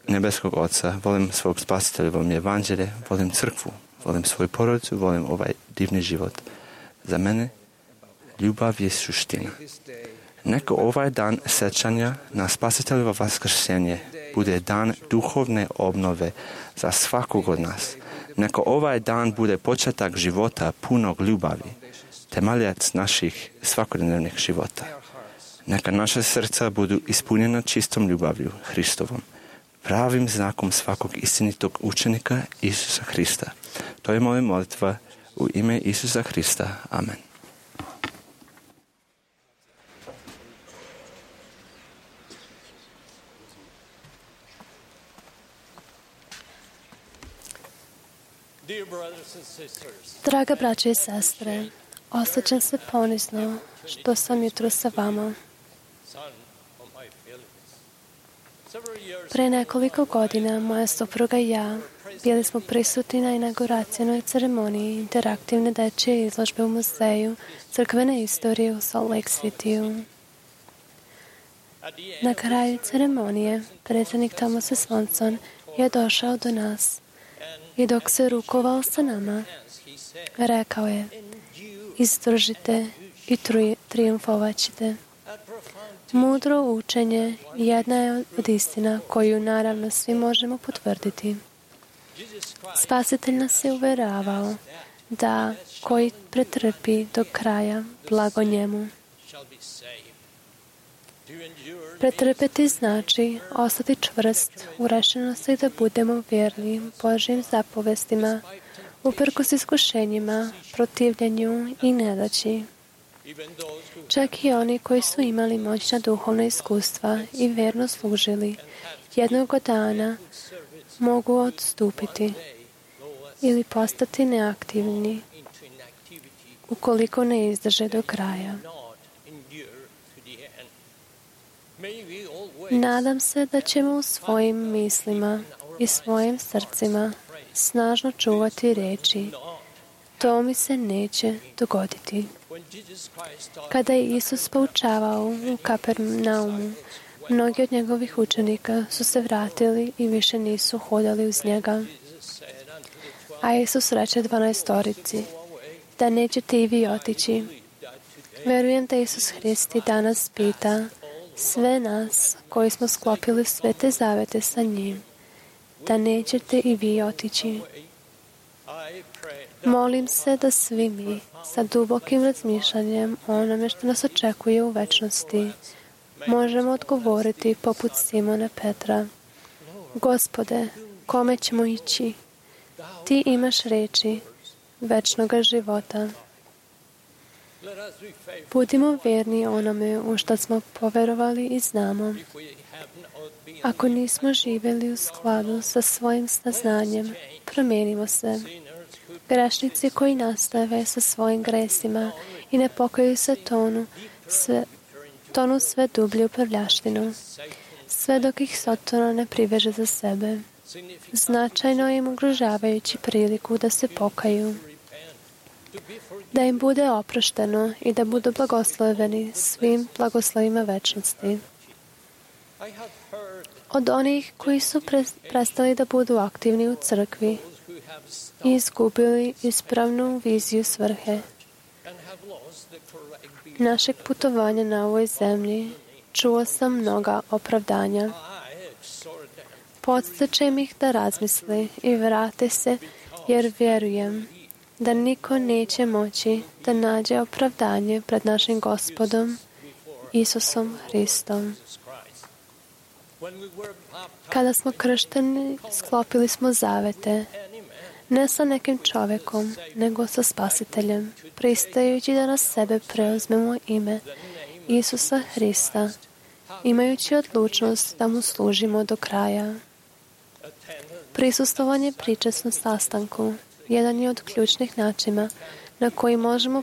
nebeskog Oca, volim svog Spasitelja, volim evanđelje, volim crkvu, volim svoju porodicu, volim ovaj divni život. Za mene ljubav je suština. Neka ovaj dan sećanja na Spasiteljevo vaskrsenje bude dan duhovne obnove za svakog od nas. Neka ovaj dan bude početak života punog ljubavi, temeljac naših svakodnevnih života. Neka naša srca budu ispunjena čistom ljubavlju Hristovom, pravim znakom svakog istinitog učenika Isusa Hrista. To je moja molitva u ime Isusa Hrista. Amen. Draga braće i sestre, osjećam se ponizno što sam jutro sa vama. Pre nekoliko godina moja supruga i ja bili smo prisutni na inauguracijnoj ceremoniji interaktivne dečje izložbe u muzeju crkvene istorije u Salt Lake Cityu. Na kraju ceremonije predsjednik Thomas Swanson je došao do nas i dok se rukovao sa nama, rekao je: izdržite i tri, triumfovat ćete. Mudro učenje jedna je od istina koju naravno svi možemo potvrditi. Spasitelj nas je uveravao da koji pretrpi do kraja, blago njemu. Pretrpeti znači ostati čvrst u rešenosti da budemo vjerni Božjim zapovestima, uprkos iskušenjima, protivljenju i nedaći. Čak i oni koji su imali moćna duhovna iskustva i vjerno služili, jednog dana mogu odstupiti ili postati neaktivni ukoliko ne izdrže do kraja. Nadam se da ćemo u svojim mislima i svojim srcima snažno čuvati riječi: to mi se neće dogoditi. Kada je Isus poučavao u Kapernaumu, mnogi od njegovih učenika su se vratili i više nisu hodali uz njega. A Isus reče dvanaestorici: da nećete i vi otići. Verujem da Isus Hrist i danas pita sve nas koji smo sklopili sve te zavete sa njim, da nećete i vi otići. Molim se da svi mi sa dubokim razmišljanjem o onome što nas očekuje u večnosti možemo odgovoriti poput Simona Petra: Gospode, kome ćemo ići? Ti imaš reči večnoga života. Budimo vjerni onome u što smo poverovali i znamo. Ako nismo živjeli u skladu sa svojim saznanjem, promijenimo se. Grešnici koji nastave sa svojim gresima i ne pokaju se tonu sve, tonu sve dublje u prljaštinu, sve dok ih Sotona ne priveže za sebe, značajno im ugrožavajući priliku da se pokaju, da im bude oprošteno i da budu blagosloveni svim blagoslovima večnosti. Od onih koji su prestali da budu aktivni u crkvi i izgubili ispravnu viziju svrhe našeg putovanja na ovoj zemlji, čuo sam mnoga opravdanja. Podstičem ih da razmisli i vrate se, jer vjerujem da niko neće moći da nađe opravdanje pred našim Gospodom Isusom Hristom. Kada smo kršteni, sklopili smo zavete, ne sa nekim čovjekom, nego sa Spasiteljem, pristajući da na sebe preuzmemo ime Isusa Hrista, imajući odlučnost da mu služimo do kraja. Prisustvovanje pričasnom sastanku jedan je od ključnih načina na koji možemo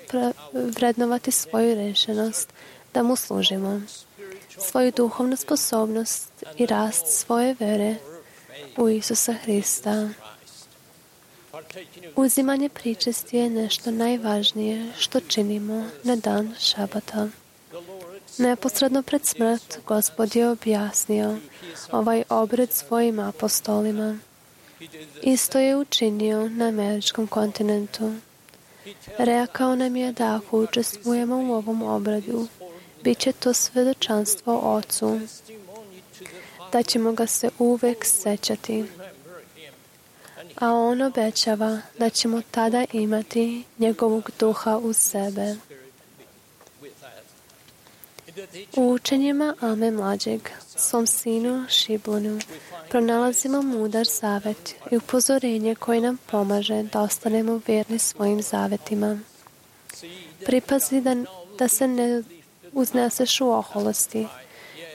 vrednovati svoju rešenost da mu služimo, svoju duhovnu sposobnost i rast svoje vere u Isusa Hrista. Uzimanje pričesti je nešto najvažnije što činimo na dan šabata. Neposredno pred smrt Gospod je objasnio ovaj obred svojim apostolima. Isto je učinio na američkom kontinentu. Rekao nam je da ako učestvujemo u ovom obradu, bit će to svedočanstvo Ocu, da ćemo ga se uvek sećati. A on obećava da ćemo tada imati njegovog duha u sebe. U učenjima Ame mlađeg, svom sinu Šiblonu, pronalazimo mudar zavet i upozorenje koje nam pomaže da ostanemo vjerni svojim zavetima. Pripazi da, da se ne uzneseš u oholosti,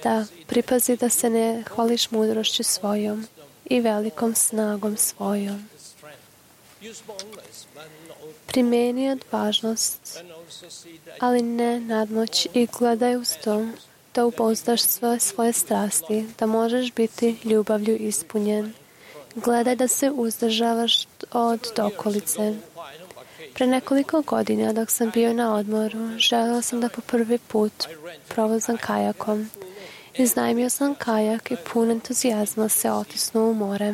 da pripazi da se ne hvališ mudrošću svojom i velikom snagom svojom. Primeni odvažnost, ali ne nadmoć, i gledaj uz to da upozdaš sve svoje strasti, da možeš biti ljubavlju ispunjen. Gledaj da se uzdržavaš od dokolice. Pre nekoliko godina, dok sam bio na odmoru, želeo sam da po prvi put provozam kajakom. Iznajmio sam kajak i pun entuzijazma se otisnuo u more.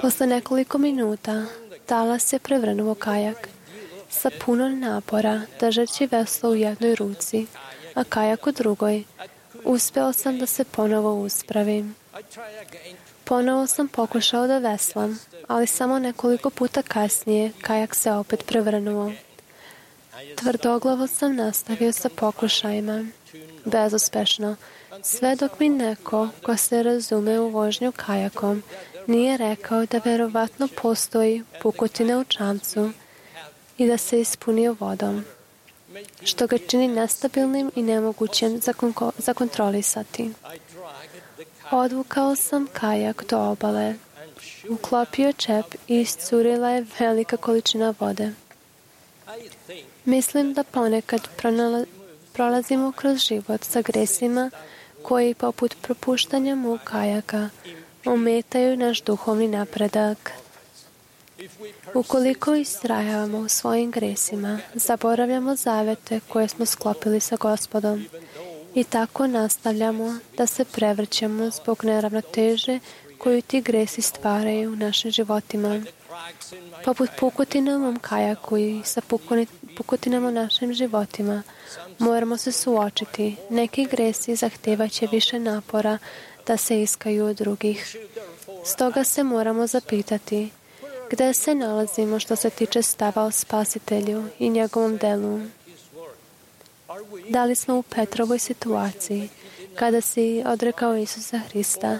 Posle nekoliko minuta talas je prevrnuo kajak. Sa puno napora, držeći veslo u jednoj ruci, a kajak u drugoj, uspeo sam da se ponovo uspravim. Ponovo sam pokušao da veslam, ali samo nekoliko puta kasnije kajak se opet prevrnuo. Tvrdoglavo sam nastavio sa pokušajima, bezuspešno, sve dok mi neko ko se razume u vožnju kajakom nije rekao da verovatno postoji pukotina u čamcu i da se ispunio vodom, što ga čini nestabilnim i nemogućim za, konko- za kontrolisati. Odvukao sam kajak do obale, uklopio čep i iscurila je velika količina vode. Mislim da ponekad pronala- prolazimo kroz život sa gresima koji, poput propuštanja mu kajaka, ometaju naš duhovni napredak. Ukoliko istrajavamo u svojim gresima, zaboravljamo zavete koje smo sklopili sa Gospodom i tako nastavljamo da se prevrćemo zbog neravnoteže koju ti gresi stvaraju u našim životima. Poput pukotina u mom kajaku i sa pukotinama u našim životima, moramo se suočiti. Neki gresi zahtevaće više napora da se iskaju od drugih. Stoga se moramo zapitati gde se nalazimo što se tiče stava o Spasitelju i njegovom delu. Da li smo u Petrovoj situaciji kada si odrekao Isusa Hrista,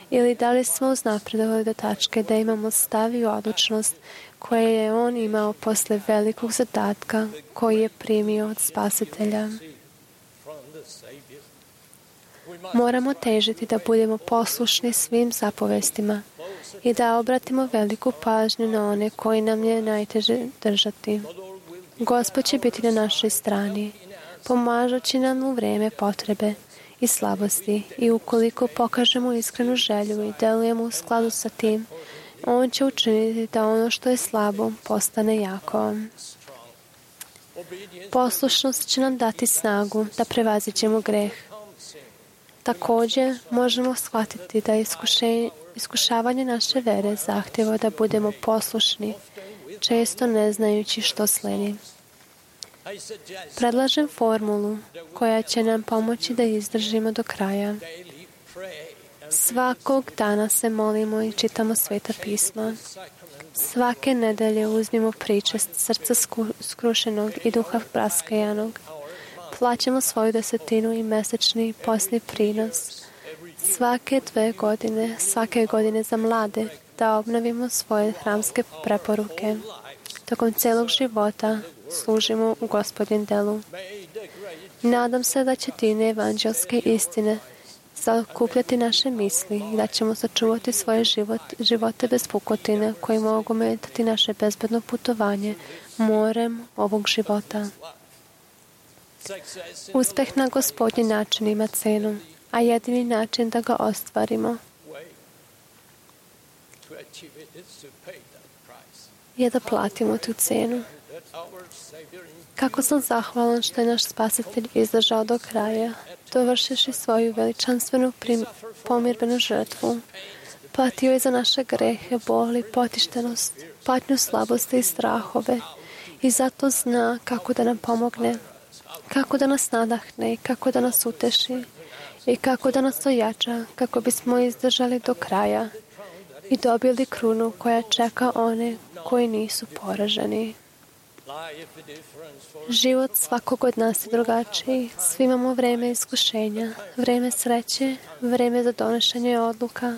ili da li smo uznapredovali do tačke da imamo stav i odlučnost koje je on imao posle velikog zadatka koji je primio od Spasitelja. Moramo težiti da budemo poslušni svim zapovestima i da obratimo veliku pažnju na one koji nam je najteže držati. Gospod će biti na našoj strani, pomažući nam u vreme potrebe i slabosti, i ukoliko pokažemo iskrenu želju i delujemo u skladu sa tim, on će učiniti da ono što je slabo postane jako. Poslušnost će nam dati snagu da prevaziđemo greh. Također možemo shvatiti da iskušavanje naše vere zahtjeva da budemo poslušni, često ne znajući što sledi. Predlažem formulu koja će nam pomoći da izdržimo do kraja. Svakog dana se molimo i čitamo Sveta pisma. Svake nedelje uzmimo priče srca skrušenog i duha praskajanog. Plaćamo svoju desetinu i mesečni posni prinos. Svake dve godine, svake godine za mlade, da obnovimo svoje hramske preporuke. Tokom celog života služimo u Gospodin delu. Nadam se da će tine evanđelske istine zakupljati naše misli i da ćemo sačuvati svoje život, živote bez pukotine koji mogu metati naše bezbedno putovanje morem ovog života. Uspeh na Gospodnji način ima cenu, a jedini način da ga ostvarimo je da platimo tu cenu. Kako sam zahvalan što je naš Spasitelj izdržao do kraja, dovršivši svoju veličanstvenu prim, pomirbenu žrtvu. Platio je za naše grehe, boli, potištenost, patnju slabosti i strahove, i zato zna kako da nam pomogne, kako da nas nadahne i kako da nas uteši i kako da nas ojača, kako bismo izdržali do kraja i dobili krunu koja čeka one koji nisu poraženi. Život svakog od nas je drugačiji. Svi imamo vreme iskušenja, vreme sreće, vreme za donošenje odluka,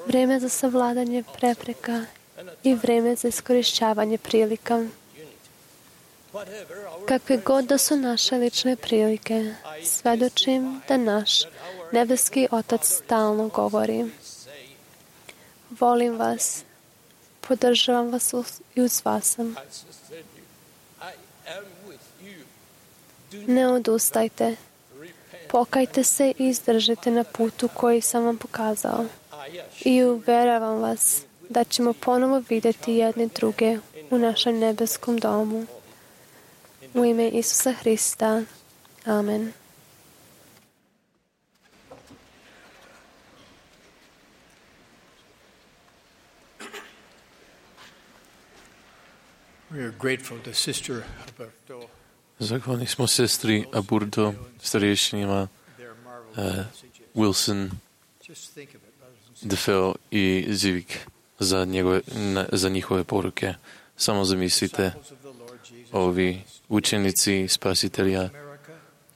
vreme za savladanje prepreka i vreme za iskorišćavanje prilika. Kakve god da su naše lične prilike, svedočim da naš nebeski Otac stalno govori: volim vas, podržavam vas i uz vas sam. Ne odustajte, pokajte se i izdržite na putu koji sam vam pokazao. I uveravam vas da ćemo ponovo vidjeti jedni druge u našem nebeskom domu. U ime Isusa Hrista. Amen. We are grateful to Sister Alberto. Zahvalni smo sestri Aburdo, starješinima uh, Wilson, Defeo i Zivik za, njegove, na, za njihove poruke. Samo zamislite, ovi učenici Spasitelja,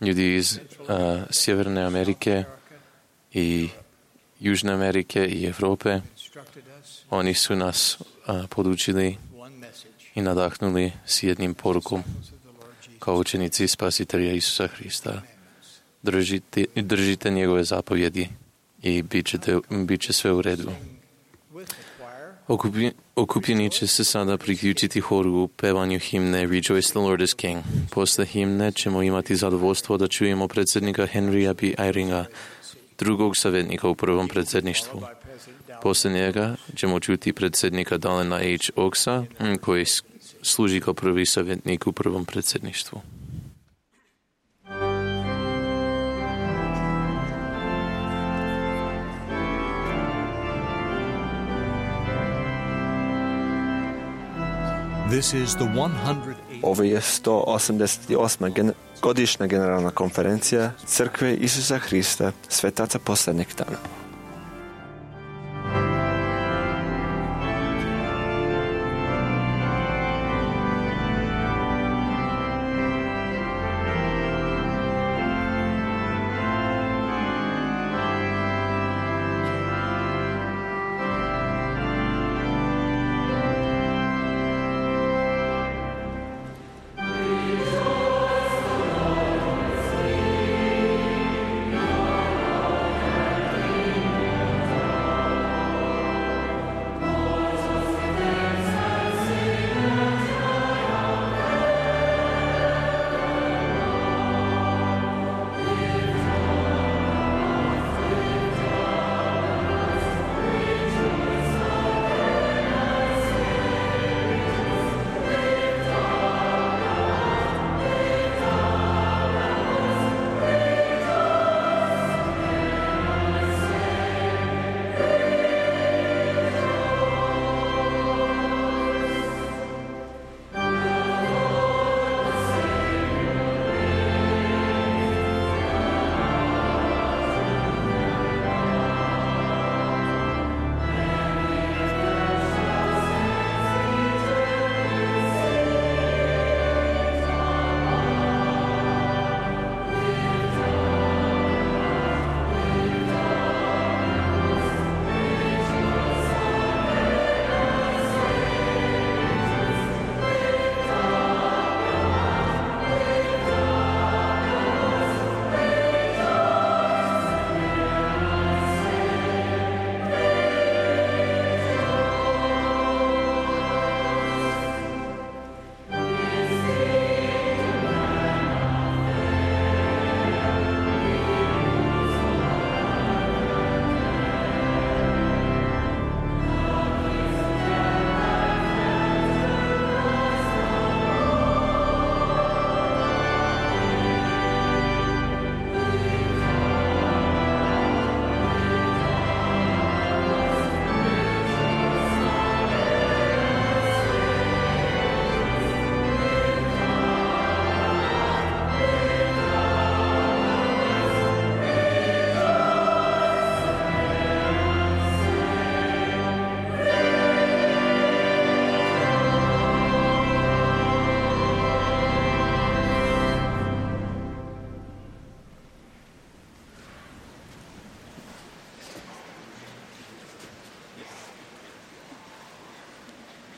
ljudi iz uh, Sjeverne Amerike i Južne Amerike i Evrope, oni su nas uh, podučili i nadahnuli s jednim porukom kao učenici Spasitelja Isusa Hrista. Držite, držite njegove zapovjedi i bit, ćete, bit će sve u redu. Okupi, okupljeni će se sada priključiti horu u pevanju himne Rejoice the Lord is King. Posle himne ćemo imati zadovoljstvo da čujemo predsjednika Henrya B. Eyringa, drugog savjetnika u prvom predsjedništvu. Posle njega ćemo čuti predsjednika Dalena H. Oaksa, koji služi kao prvi savjetnik u prvom predsjedništvu. This is the one hundred eighth Ovo je sto osamdeset osma gen- godišnja generalna konferencija Crkve Isusa Hrista, svetaca posljednjeg dana.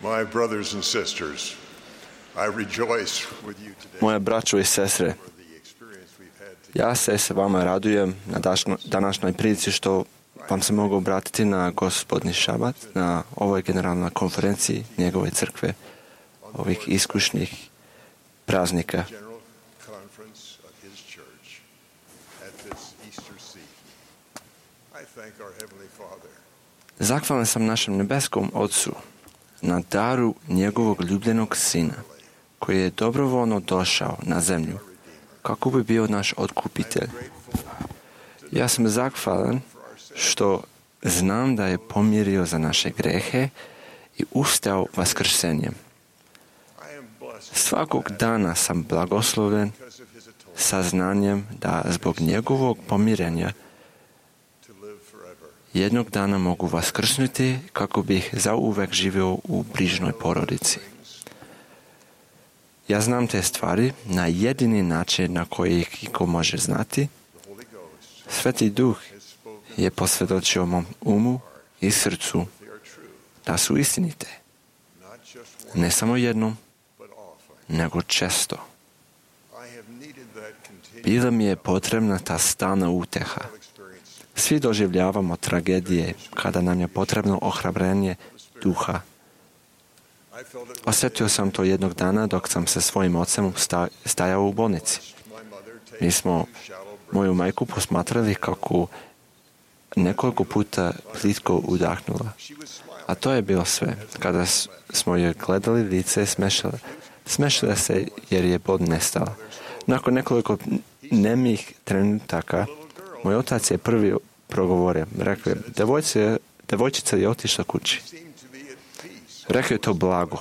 My brothers and sisters, I rejoice with you today Moje braćo i sestre, for the experience we've had together. ja se s vama radujem na dašno- današnjoj prilici što vam se mogu obratiti na gospodnji šabat, na ovoj generalnoj konferenciji njegove crkve, ovih iskušnih praznika. General Conference of His Church at this Easter season. I thank our Heavenly Father Zahvalan sam našem nebeskom Otcu na daru njegovog ljubljenog Sina, koji je dobrovoljno došao na zemlju kako bi bio naš otkupitelj. Ja sam zahvalan što znam da je pomirio za naše grehe i ustao vaskrsenjem. I am blessed Svakog dana sam blagosloven because of His atonement saznanjem da zbog njegovog pomirenja to live forever. jednog dana mogu vaskrsnuti kako bih zauvek živio u brižnoj porodici. Ja znam te stvari na jedini način na koji ih iko može znati. The Holy Ghost Sveti Duh has spoken. je posvjedočio mom umu i srcu They are true, da su istinite. not just once, Ne samo jednom, but often. nego često. I have needed that continued Bila mi je potrebna ta stalna uteha. experience. Svi doživljavamo tragedije kada nam je potrebno ohrabrenje duha. I felt it one Osjetio sam to jednog dana dok sam sa svojim ocem sta- stajao u bolnici. my mother take Mi smo shallow breaths. moju majku posmatrali kako nekoliko puta plitko udahnula. She was smiling. A to je bilo sve. Kada s- smo joj gledali lice, smešala. Smešala se jer je bod nestala. Nakon nekoliko nemih trenutaka, moj otac je prvi progovorio. Rekao je, "Devojčica- devojčica je otišla kući." Seemed to be at peace. Rekao je to blago.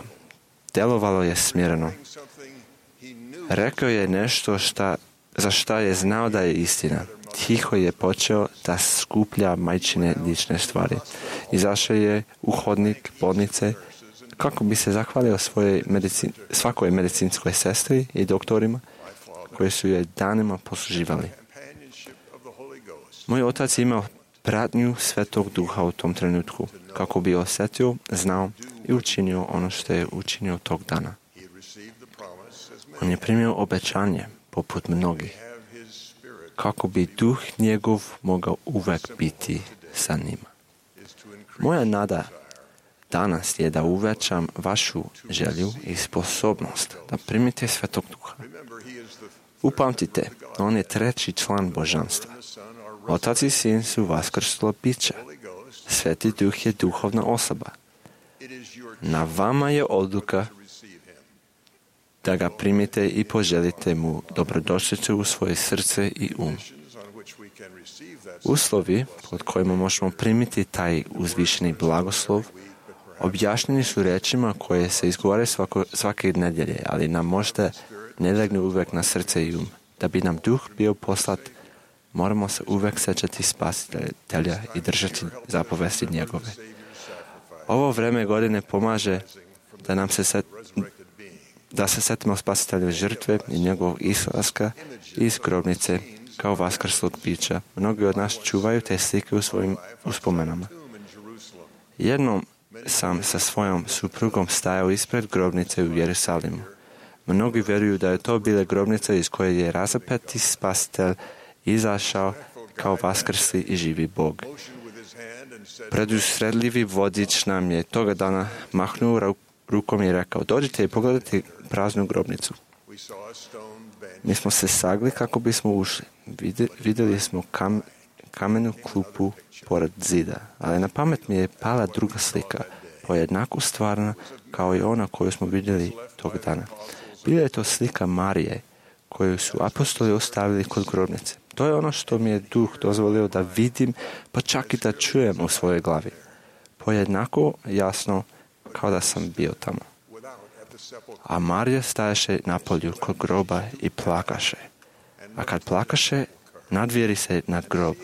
Delovalo je smjereno. Something he knew Rekao je nešto šta, za šta je znao da je istina. Tiho je počeo da skuplja majčine lične stvari. Izašao je u hodnik bolnice kako bi se zahvalio svojoj medicin, svakoj medicinskoj sestri i doktorima koji su je danima posluživali. companionship of the Holy Ghost. Moj otac je imao pratnju Svetog Duha u tom trenutku kako bi osjetio, znao i učinio ono što je učinio tog dana. He had received the promise as On many je primio obećanje, poput mnogih, have his spirit kako bi duh njegov mogao uvek biti sa njima. is to increase Moja nada danas je da uvećam vašu želju i sposobnost da primite Svetog Duha. Remember, he is the Upamtite, on je treći član božanstva. the Son, our Otac i Sin su vaskrslo bića. Holy Ghost. Sveti Duh je duhovna osoba. It is your Na vama je odluka to receive him. da ga primite i poželite mu dobrodošlicu u svoje srce i um. Conditions on which we can receive that Uslovi pod kojima možemo primiti taj uzvišeni blagoslov objašnjeni su rečima koje se izgovore svako, svake nedjelje, ali nam možda ne legnu uvek na srce i um. Da bi nam duh bio poslat, moramo se uvek sećati spasitelja i držati zapovesti njegove. Ovo vreme godine pomaže da nam se set, resurrected being. da se setimo spasitelja žrtve i njegovog izlaska iz grobnice kao vaskrslog bića. Mnogi od nas čuvaju te slike u svojim uspomenama. Tomb in Jerusalem. Jednom sam sa svojom suprugom stajao ispred grobnice u Jerusalimu. Mnogi vjeruju da je to bila grobnica iz koje je razapeti spasitelj izašao kao vaskrsli i živi Bog. Motioned with his hand and said, Predusredljivi vodič nam je toga dana mahnuo ru- rukom i rekao, dođite i pogledajte praznu grobnicu. we saw a stone bench. Mi smo se sagli kako bismo ušli. Vide- vidjeli smo kam, kamenu klupu pored zida, ali na pamet mi je pala druga slika, pojednako stvarna kao i ona koju smo vidjeli tog dana. Bila je to slika Marije, koju su apostoli ostavili kod grobnice. To je ono što mi je duh dozvolio da vidim, pa čak i da čujem u svojoj glavi. Pojednako jasno kao da sam bio tamo. Without at the sepulchre. A Marija stajaše na polju kod groba i plakaše. A kad plakaše, nadvjeri se nad grob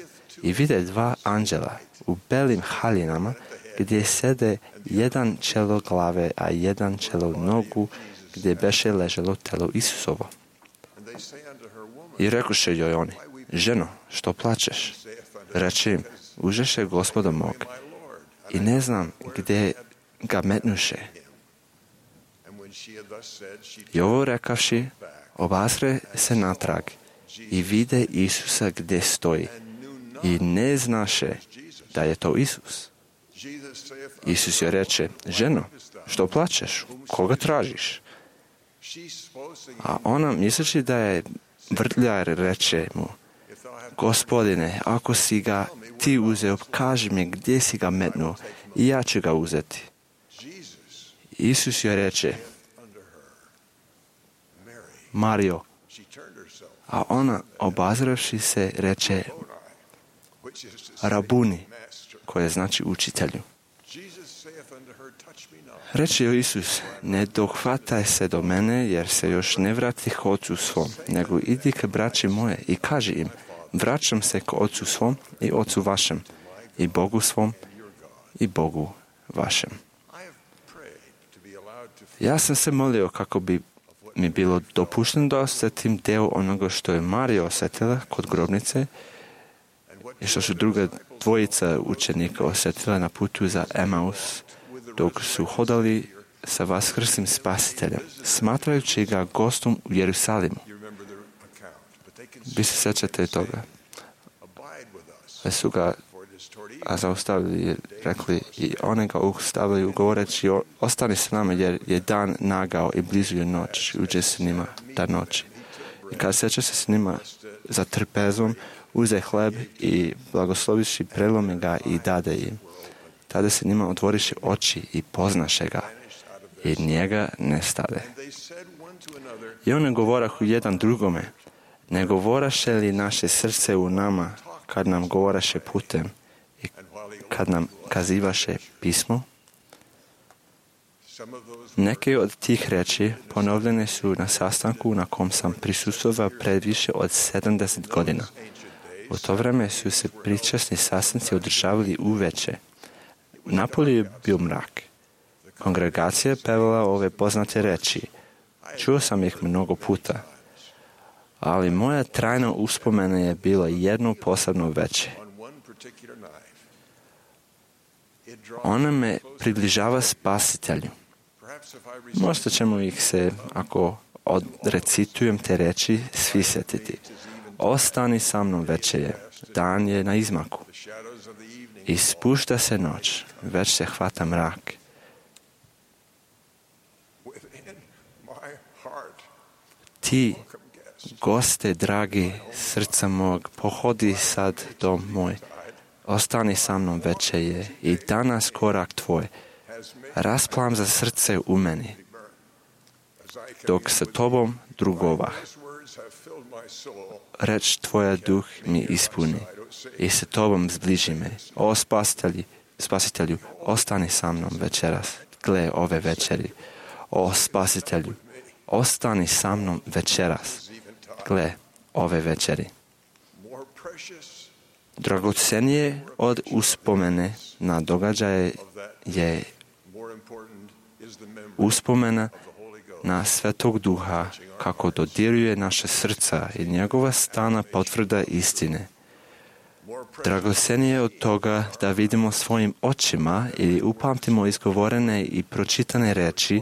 i vide dva anđela u belim haljinama gdje sede jedan čelo glave, a jedan čelo nogu gdje beše leželo telo Isusovo. And they say unto her, woman, I rekoše joj oni, ženo, što plačeš? Reče im, užeše gospoda mog my Lord, i ne znam gdje ga metnuše. I ovo rekavši, obazre se natrag i vide Isusa gdje stoji i ne znaše da je to Isus. Isus joj reče, ženo, što plačeš? Koga tražiš? A ona, misleći da je vrtljar, reče mu, Gospodine, ako si ga ti uzeo, kaži mi gdje si ga metnuo i ja ću ga uzeti. Isus joj reče, Mario. A ona, obazravši se, reče, Rabuni, koje znači učitelju. Reče joj Isus, ne dohvataj se do mene, jer se još ne vratih ocu svom, nego idi k braći moje i kaži im, vraćam se k ocu svom i ocu vašem, i Bogu svom i Bogu vašem. Ja sam se molio kako bi mi bilo dopušteno da osjetim deo onoga što je Marija osjetila kod grobnice i što su druga dvojica učenika osjetila na putu za Emaus, dok su hodali sa vaskrslim spasiteljem, smatrajući ga gostom u Jerusalimu. Vi se sjećate toga. Ali su ga a zaustavili i rekli i oni ga ustavili govoreći, ostani s nama jer je dan nagao i blizu je noć, uđe s njima ta noć. I kad sjeća se s njima za trpezom, uze hleb i blagosloviši, prelomi ga i dade im. Tada se njima otvoriše oči i poznaše ga i njega ne stade. I oni govorahu jedan drugome, ne govoraše li naše srce u nama kad nam govoraše putem i kad nam kazivaše pismo? Neke od tih reči ponovljene su na sastanku na kom sam prisustvovao pred više od sedamdeset godina. U to vreme su se pričasni sastanci održavali uveče. Napolju je bio mrak. Kongregacija je pevala ove poznate reči. Čuo sam ih mnogo puta. Ali moja trajna uspomena je bila jedno posebno veće. Ona me približava spasitelju. Možda ćemo ih se, ako odrecitujem te reči, svi sjetiti. Ostani sa mnom večer, dan je na izmaku. I spušta se noć, već se hvata mrak. Ti, goste dragi srca mog, pohodi sad dom moj. Ostani sa mnom večer i danas korak tvoj. Rasplam za srce u meni, dok sa tobom drugovah. Reč tvoja duh mi ispuni i sa tobom zbliži me. O spasitelju, spasitelju, ostani sa mnom večeras, gle ove večeri. O spasitelju, ostani sa mnom večeras, gle ove večeri. Dragocenije od uspomene na događaje je uspomena na Svetog Duha kako dodiruje naše srca i njegova stana potvrda istine. Dragocenije od toga da vidimo svojim očima ili upamtimo izgovorene i pročitane reči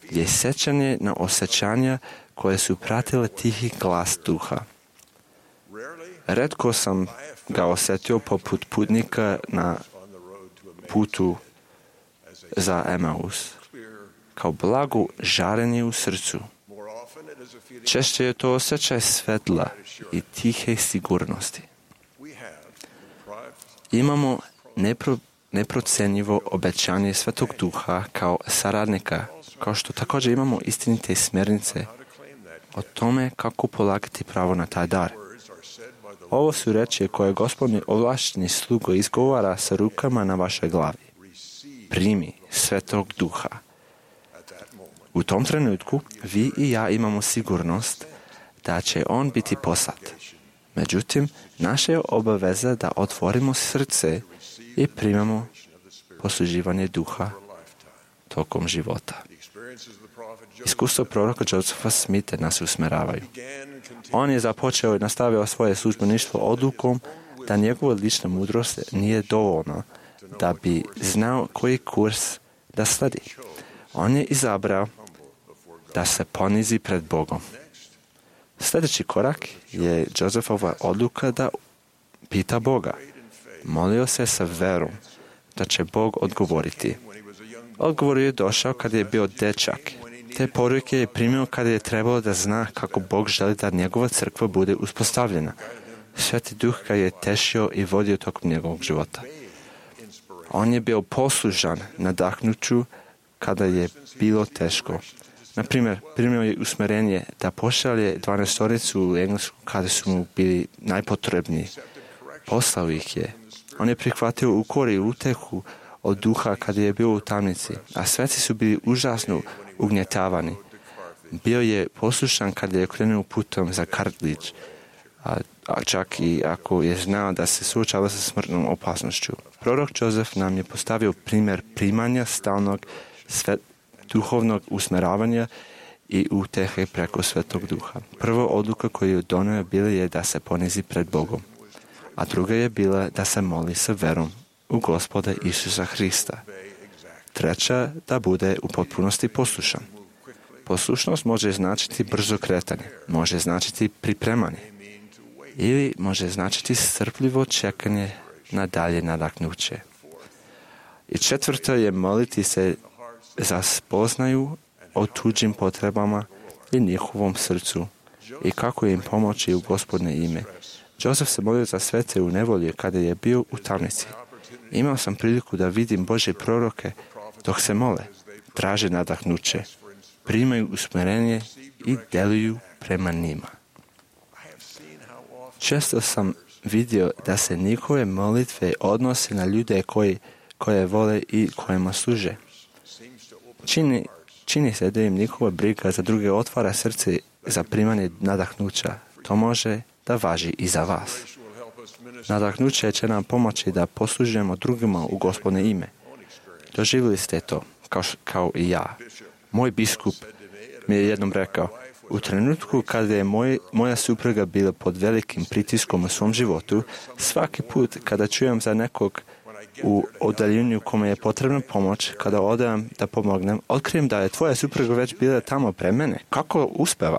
je sjećanje na osjećanja koje su pratile tihi glas Duha. Retko sam ga osjetio poput putnika na putu za Emaus, kao blagu žarenje u srcu. Češće je to osjećaj svetla i tihe sigurnosti. Imamo nepro, neprocenjivo obećanje Svetog Duha kao saradnika, kao što također imamo istinite smjernice o tome kako polagati pravo na taj dar. Ovo su reči koje Gospodin ovlašteni slugo izgovara sa rukama na vašoj glavi. Primi Svetog Duha. U tom trenutku vi i ja imamo sigurnost da će on biti poslat. Međutim, naša je obaveza da otvorimo srce i primamo posluživanje Duha tokom života. Iskustvo proroka Josepha Smitha nas usmeravaju. On je započeo i nastavio svoje službeništvo odlukom da njegova lična mudrost nije dovoljna da bi znao koji kurs da sledi. On je izabrao da se ponizi pred Bogom. Sljedeći korak je Josefova odluka da pita Boga. Molio se sa verom da će Bog odgovoriti. Odgovor je došao kad je bio dečak. Te poruke je primio kada je trebalo da zna kako Bog želi da njegova crkva bude uspostavljena. Sveti Duh ga je tešio i vodio tokom njegovog života. On je bio poslušan nadahnuću kada je bilo teško. Na primjer, primio je usmjerenje da pošalje dvanaestoricu u Englesku kada su mu bili najpotrebniji. Poslao ih je. On je prihvatio ukor i utehu od duha kada je bio u tamnici, a sveci su bili užasno ugnjetavani. Bio je poslušan kada je krenuo putom za Kartlić, a, a čak i ako je znao da se suočava sa smrtnom opasnošću. Prorok Jozef nam je postavio primjer primanja stalnog svet, duhovnog usmjeravanja i utehe preko Svetog Duha. Prva odluka koju je donio bila je da se ponizi pred Bogom, a druga je bila da se moli sa verom u Gospoda Isusa Hrista. Treća, da bude u potpunosti poslušan. Poslušnost može značiti brzo kretanje, može značiti pripremanje ili može značiti strpljivo čekanje na dalje nadahnuće. I četvrto je moliti se za spoznaju o tuđim potrebama i njihovom srcu i kako im pomoći u Gospodne ime. Josef se molio za svete u nevolji kada je bio u tamnici. Imao sam priliku da vidim Božje proroke dok se mole, traže nadahnuće, primaju usmjerenje i deluju prema njima. Često sam vidio da se njihove molitve odnose na ljude koji, koje vole i kojima služe. Čini, čini se da im njihova briga za druge otvara srce za primanje nadahnuća. To može da važi i za vas. Nadahnuće će nam pomoći da poslužujemo drugima u Gospodne ime. Doživjeli ste to, kao, kao i ja. Moj biskup mi je jednom rekao, u trenutku kada je moj, moja supruga bila pod velikim pritiskom u svom životu, svaki put kada čujem za nekog u oddaljenju kome je potrebna pomoć, kada odem da pomognem, otkrijem da je tvoja supruga već bila tamo pre mene. Kako uspeva?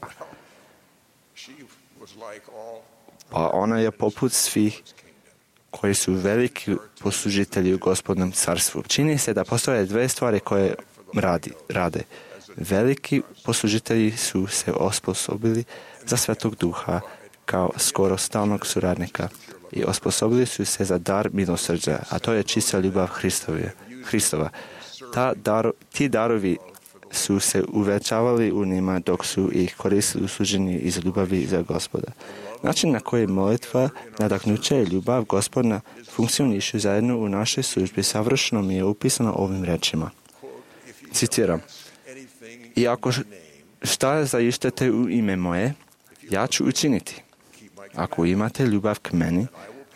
Pa ona je poput svih koji su veliki poslužitelji u Gospodnom carstvu. Čini se da postoje dve stvari koje radi, rade. Veliki poslužitelji su se osposobili za Svetog Duha kao skoro stalnog suradnika i osposobili su se za dar milosrđa, a to je čista ljubav Hristova. Ta dar, ti darovi su se uvećavali u njima dok su ih koristili u služenju iz ljubavi za Gospoda. Način na koji molitva, nadahnuće i ljubav Gospodna funkcionišu zajedno u našoj službi savršeno mi je upisano ovim rečima. Citiram. I ako šta zaištete u ime moje, ja ću učiniti. Ako imate ljubav k meni,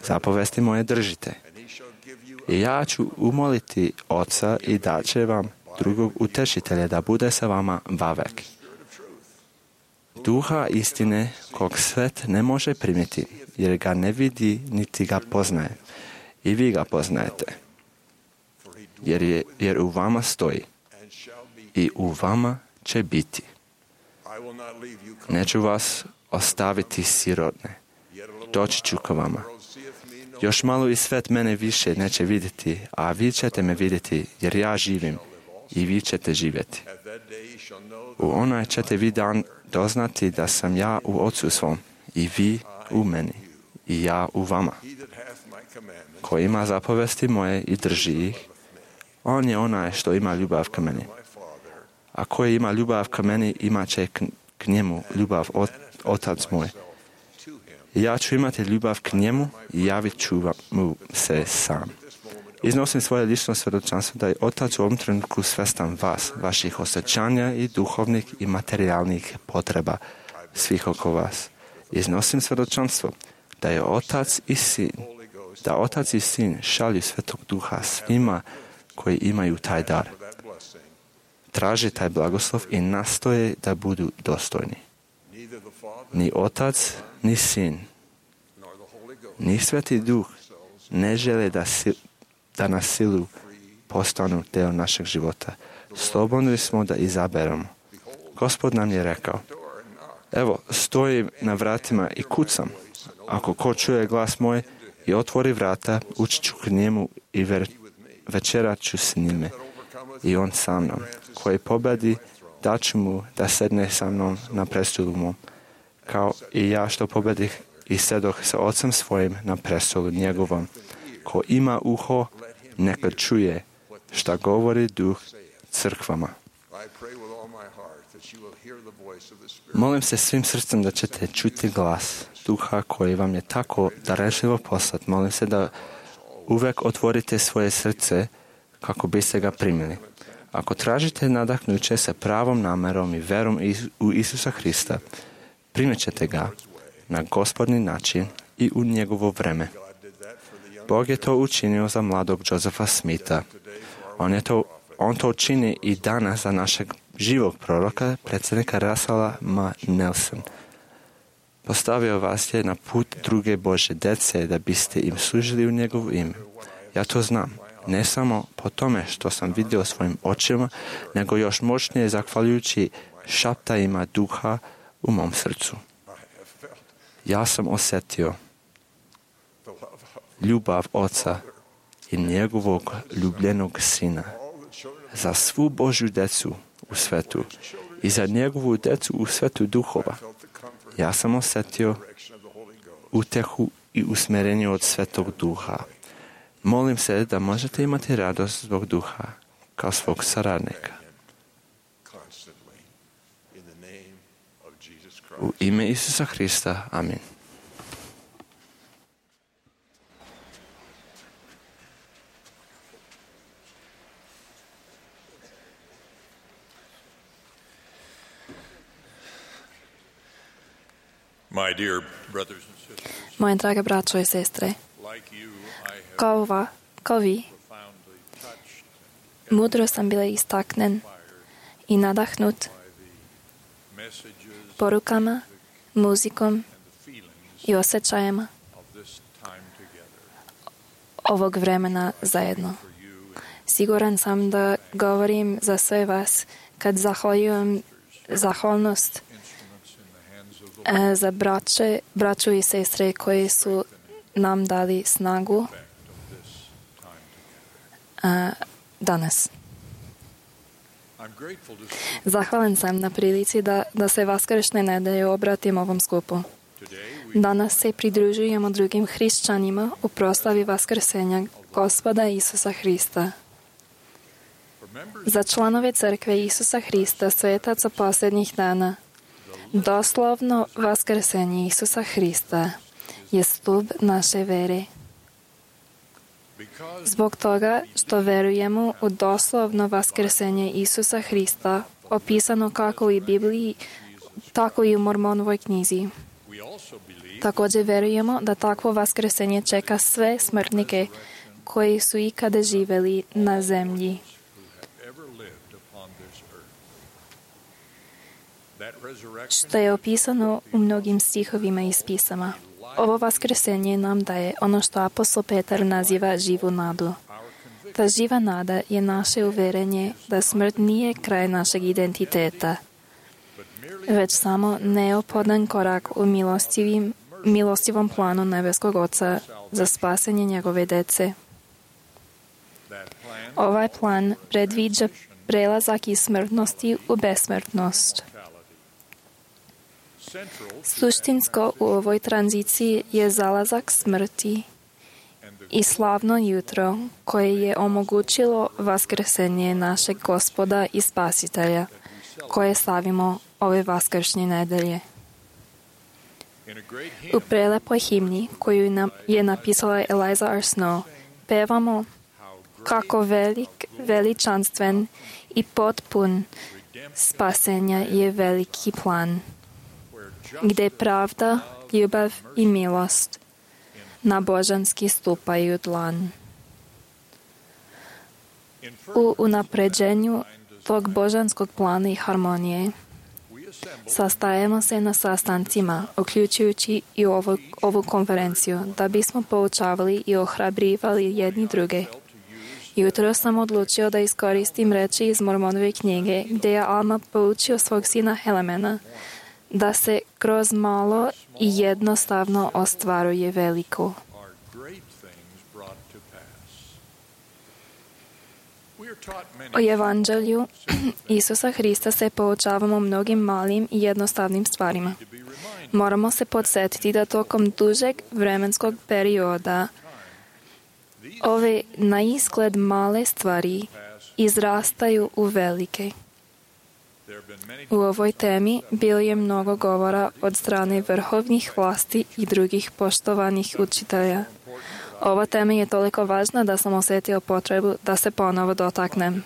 zapovesti moje držite. I ja ću umoliti Oca i daće vam drugog utešitelja da bude sa vama vavek. Duha istine kog svet ne može primiti, jer ga ne vidi niti ga poznaje. I vi ga poznajete, jer, je, jer u vama stoji i u vama će biti. Neću vas ostaviti sirotne. Doći ću k vama. Još malo i svet mene više neće vidjeti, a vi ćete me vidjeti, jer ja živim i vi ćete živjeti. U onaj ćete vi dan doznati da sam ja u Otcu svom i vi u meni i ja u vama. Ko ima zapovesti moje i drži ih, on je onaj što ima ljubav k meni. A koji ima ljubav k meni, imat će k, k njemu ljubav ot, Otac moj. I ja ću imati ljubav k njemu i javit ću mu se sam. Iznosim svoje lično svjedočanstvo da je Otac u ovom trenutku svestan vas, vaših osjećanja i duhovnih i materijalnih potreba svih oko vas. Iznosim svjedočanstvo da je Otac i Sin, da Otac i Sin šalju Svetog Duha svima koji imaju taj dar. Traže taj blagoslov i nastoje da budu dostojni. Ni Otac, ni Sin, ni Sveti Duh ne žele da, si, da na silu postanu deo našeg života. Slobodni smo da izaberemo. Gospod nam je rekao, evo, stojim na vratima i kucam. Ako ko čuje glas moj i otvori vrata, ući ću k njemu i ver, večerat ću s njime i on sa mnom. Koji pobedi, daću mu da sedne sa mnom na prestolu mom, kao i ja što pobedih i sedoh sa ocem svojim na prestolu njegovom. Ko ima uho, neka čuje šta govori duh crkvama. Molim se svim srcem da ćete čuti glas duha koji vam je tako darežljivo poslat. Molim se da uvek otvorite svoje srce kako biste ga primili. Ako tražite nadahnuće sa pravom namerom i verom u Isusa Hrista, primit ćete ga na Gospodni način i u njegovo vreme. Bog je to učinio za mladog Josefa Smitha. On, je to, on to čini i danas za našeg živog proroka, predsjednika Russella M. Nelson. Postavio vas je na put druge Božje dece da biste im služili u njegovu ime. Ja to znam, ne samo po tome što sam vidio svojim očima, nego još moćnije zahvaljujući šaptajima duha u mom srcu. Ja sam osjetio ljubav Oca i njegovog ljubljenog Sina za svu Božju decu u svetu i za njegovu decu u svetu duhova. Ja sam osjetio utehu i usmjerenje od Svetog Duha. Molim se da možete imati radost zbog Duha kao svog saradnika. U ime Isusa Hrista. Amin. Moje drage braćo i sestre, kao, va, kao vi, mudro sam bila istaknen i nadahnut porukama, muzikom i osjećajima ovog vremena zajedno. Siguran sam da govorim za sve vas kad zahvaljujem zahvalnost za braće, braću i sestre koji su nam dali snagu a, danas. Zahvalan sam na prilici da, da se vaskršnje nedelje obratim ovom skupu. Danas se pridružujemo drugim hrišćanima u proslavi vaskrsenja Gospoda Isusa Hrista. Za članove crkve Isusa Hrista, svetaca posljednjih dana, doslovno vaskrsenje Isusa Hrista je stup naše vere. Zbog toga što verujemo u doslovno vaskrsenje Isusa Hrista, opisano kako u Bibliji, tako i u Mormonovoj knjizi. Također verujemo da takvo vaskrsenje čeka sve smrtnike koji su ikada živjeli na zemlji. Što je opisano u mnogim stihovima iz pisama. Ovo vaskrsenje nam daje ono što apostol Petar naziva živu nadu. Ta živa nada je naše uverenje da smrt nije kraj našeg identiteta, već samo neophodan korak u milostivim, milostivom planu nebeskog Oca za spasenje njegove dece. Ovaj plan predviđa prelazak iz smrtnosti u besmrtnost. Suštinsko u ovoj tranziciji je zalazak smrti i slavno jutro koje je omogućilo vaskrsenje našeg Gospoda i Spasitelja, koje slavimo ove vaskršnje nedelje. U prelepoj himni koju nam je napisala Eliza R. Snow pevamo kako velik, veličanstven i potpun spasenja je veliki plan, gdje pravda, ljubav i milost na božanski stupaju dlan. U unapređenju tog božanskog plana i harmonije sastajemo se na sastancima, uključujući i ovu, ovu konferenciju, da bismo poučavali i ohrabrivali jedni druge Jutro sam odlučio da iskoristim reči iz Mormonove knjige, gdje je Alma poučio svog sina Helemena da se kroz malo i jednostavno ostvaruje veliko. O evanđelju Isusa Hrista se poučavamo mnogim malim i jednostavnim stvarima. Moramo se podsjetiti da tokom dužeg vremenskog perioda ove na izgled male stvari izrastaju u velike. U ovoj temi bilo je mnogo govora od strane vrhovnih vlasti i drugih poštovanih učitelja. Ova tema je toliko važna da sam osjetio potrebu da se ponovo dotaknem.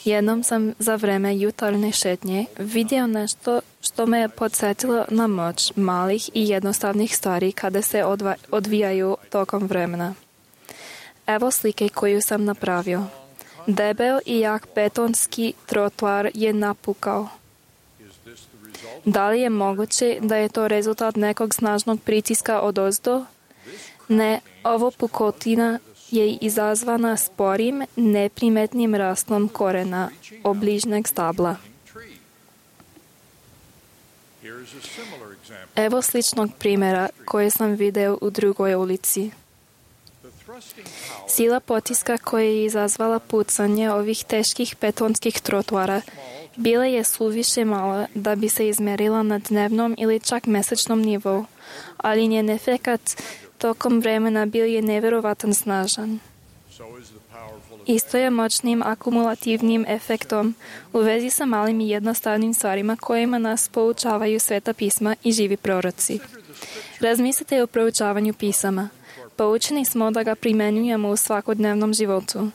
Jednom sam za vreme jutarnje šetnje vidio nešto što me je podsjetilo na moć malih i jednostavnih stvari kada se odva- odvijaju tokom vremena. Evo slike koju sam napravio. Debel i jak betonski trotoar je napukao. Da li je moguće da je to rezultat nekog snažnog pritiska odozdo? Ne, ovo pukotina je izazvana sporim, neprimetnim rastom korena obližnjeg stabla. Evo sličnog primjera koje sam video u drugoj ulici. Sila potiska koja je izazvala pucanje ovih teških betonskih trotoara bila je suviše mala da bi se izmerila na dnevnom ili čak mesečnom nivou, ali njen efekat tokom vremena bio je nevjerovatan snažan. Isto je moćnim akumulativnim efektom u vezi sa malim i jednostavnim stvarima kojima nas poučavaju Sveta pisma i živi proroci. Razmislite o proučavanju pisama. Poučeni smo da ga primjenjujemo u svakodnevnom životu.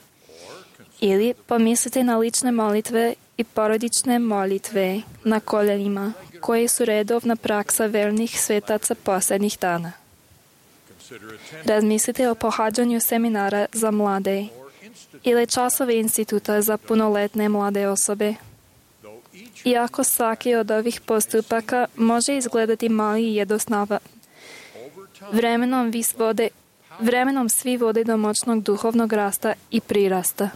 Ili pomislite na lične molitve i porodične molitve na koljenima, koje su redovna praksa vernih svetaca posljednjih dana. Razmislite o pohađanju seminara za mlade ili časove instituta za punoletne mlade osobe. Iako svaki od ovih postupaka može izgledati mali i jednostavan, vremenom, vode, vremenom svi vode do moćnog duhovnog rasta i prirasta.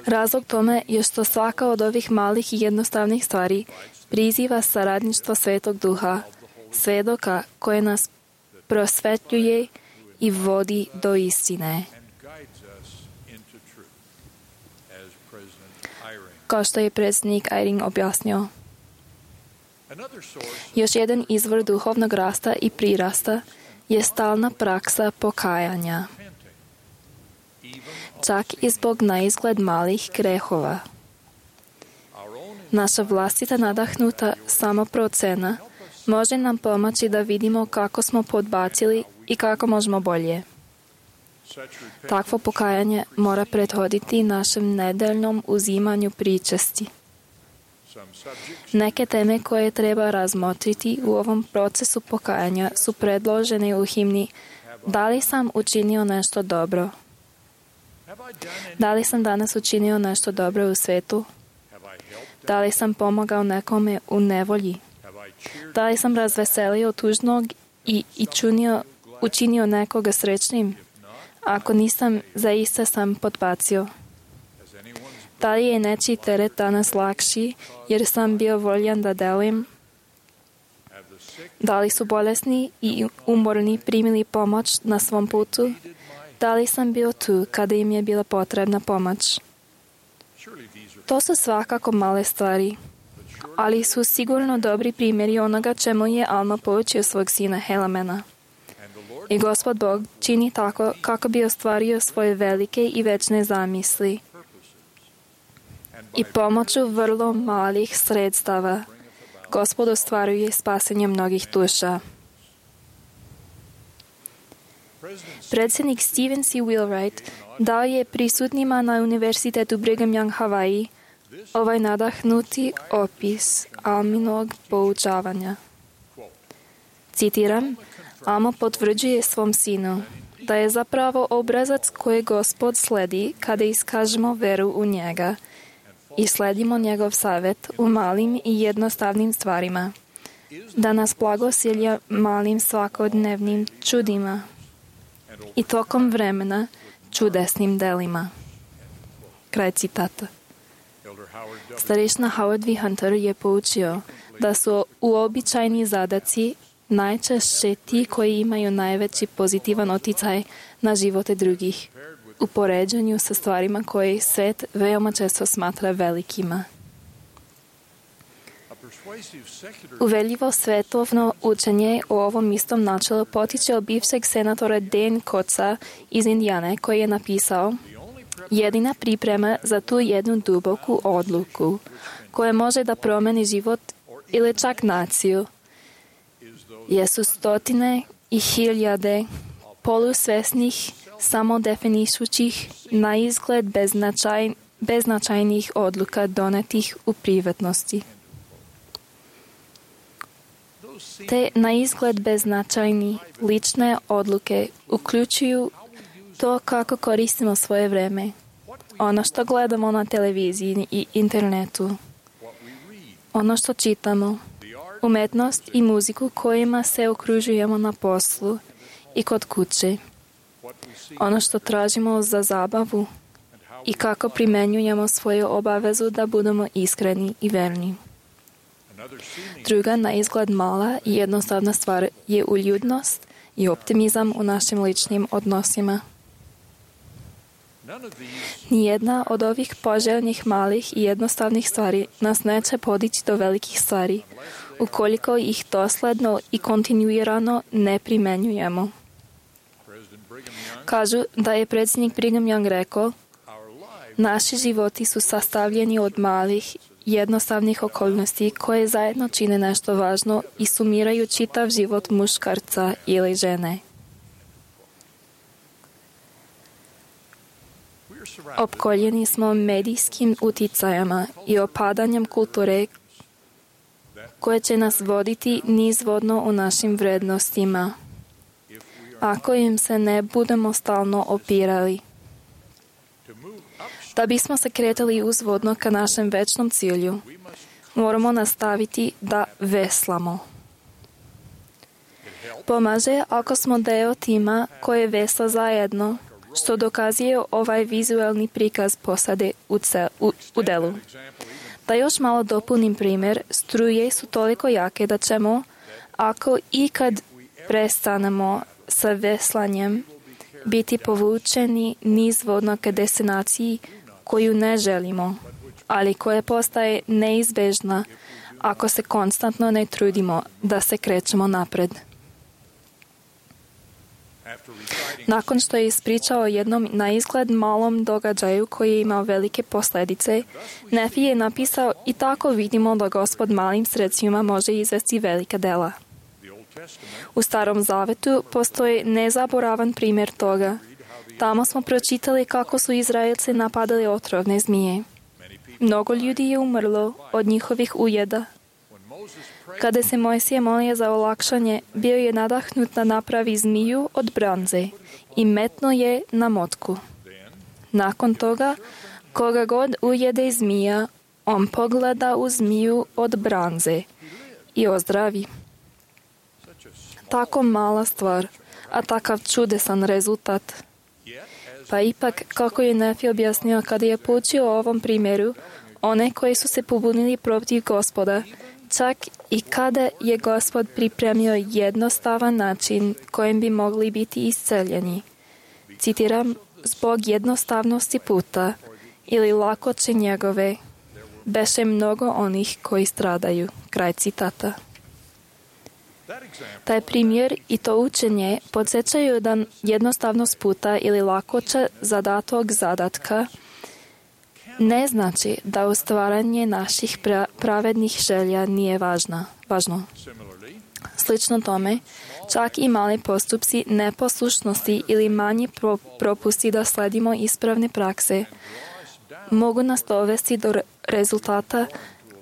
Razlog tome je što svaka od ovih malih i jednostavnih stvari priziva saradništvo Svetog Duha, svedoka koje nas prosvetljuje i vodi do istine. Kao što je predsjednik Eyring objasnio. Još jedan izvor duhovnog rasta i prirasta je stalna praksa pokajanja. Čak i zbog naizgled malih grehova. Naša vlastita nadahnuta samoprocena može nam pomoći da vidimo kako smo podbacili i kako možemo bolje. Takvo pokajanje mora prethoditi našem nedeljnom uzimanju pričesti. Neke teme koje treba razmotriti u ovom procesu pokajanja su predložene u himni Da li sam učinio nešto dobro? Da li sam danas učinio nešto dobro u svetu? Da li sam pomogao nekome u nevolji? Da li sam razveselio tužnog i, i čunio, učinio nekoga srećnim? Ako nisam, zaista sam podbacio. Da li je nečiji teret danas lakši, jer sam bio voljan da delujem? Da li su bolesni i umorni primili pomoć na svom putu? Da li sam bio tu kada im je bila potrebna pomoć? To su svakako male stvari, ali su sigurno dobri primjeri onoga čemu je Alma poučio svog sina Helemena. I Gospod Bog čini tako kako bi ostvario svoje velike i večne zamisli. I pomoću vrlo malih sredstava Gospod ostvaruje spasenje mnogih duša. Predsjednik Stephen C. Wheelwright dao je prisutnima na Univerzitetu Brigham Young Hawaii ovaj nadahnuti opis Alminog poučavanja. Citiram, Alma potvrđuje svom sinu da je zapravo obrazac koje Gospod sledi kada iskažemo veru u njega i sledimo njegov savjet u malim i jednostavnim stvarima, da nas blagosilja malim svakodnevnim čudima. I tokom vremena čudesnim delima. Kraj citata. Starešna Howard V. Hunter je poučio da su uobičajeni zadaci najčešće ti koji imaju najveći pozitivan utjecaj na živote drugih, u poređenju sa stvarima koje svet veoma često smatra velikima. Uveljivo svetovno učenje o ovom istom načelu potiče od bivšeg senatora Dan Kotza iz Indijane, koji je napisao: jedina priprema za tu jednu duboku odluku koja može da promeni život ili čak naciju jesu stotine i hiljade polusvesnih, samodefinišućih, na izgled beznačaj, beznačajnih odluka donetih u privatnosti. Te na izgled beznačajni lične odluke uključuju to kako koristimo svoje vreme, ono što gledamo na televiziji i internetu, ono što čitamo, umetnost i muziku kojima se okružujemo na poslu i kod kuće, ono što tražimo za zabavu i kako primenjujemo svoju obavezu da budemo iskreni i verni. Druga, na izgled mala i jednostavna stvar je uljudnost i optimizam u našim ličnim odnosima. Nijedna od ovih poželjnih malih i jednostavnih stvari nas neće podići do velikih stvari, ukoliko ih dosledno i kontinuirano ne primenjujemo. Kažu da je predsjednik Brigham Young rekao: naši životi su sastavljeni od malih, jednostavnih okolnosti koje zajedno čine nešto važno i sumiraju čitav život muškarca ili žene. Opkoljeni smo medijskim uticajama i opadanjem kulture koje će nas voditi nizvodno u našim vrednostima, ako im se ne budemo stalno opirali. Da bismo se kretali uzvodno ka našem večnom cilju, moramo nastaviti da veslamo. Pomaže ako smo deo tima koje vesla zajedno, što dokazuje ovaj vizualni prikaz posade u, cel, u, u delu. Da još malo dopunim primjer, struje su toliko jake da ćemo, ako ikad prestanemo sa veslanjem, biti povučeni nizvodno ka destinaciji koju ne želimo, ali koja postaje neizbežna ako se konstantno ne trudimo da se krećemo napred. Nakon što je ispričao o jednom na izgled malom događaju koji je imao velike posljedice, Nefi je napisao: i tako vidimo da Gospod malim sredstvima može izvesti velika dela. U Starom Zavetu postoji nezaboravan primjer toga. Tamo smo pročitali kako su Izraelci napadali otrovne zmije. Mnogo ljudi je umrlo od njihovih ujeda. Kada se Mojsije molio za olakšanje, bio je nadahnut da napravi zmiju od bronze i metno je na motku. Nakon toga, koga god ujede zmija, on pogleda u zmiju od bronze i ozdravi. Tako mala stvar, a takav čudesan rezultat. Pa ipak, kako je Nefi objasnio kada je poučio o ovom primjeru, one koji su se pobunili protiv Gospoda, čak i kada je Gospod pripremio jednostavan način kojim bi mogli biti isceljeni. Citiram: zbog jednostavnosti puta ili lakoće njegove, beše mnogo onih koji stradaju. Kraj citata. Taj primjer i to učenje podsjećaju da jednostavnost puta ili lakoća zadatog zadatka ne znači da ostvaranje naših pra- pravednih želja nije važna, važno. Slično tome, čak i mali postupci neposlušnosti ili manji pro- propusti da sledimo ispravne prakse mogu nas dovesti do re- rezultata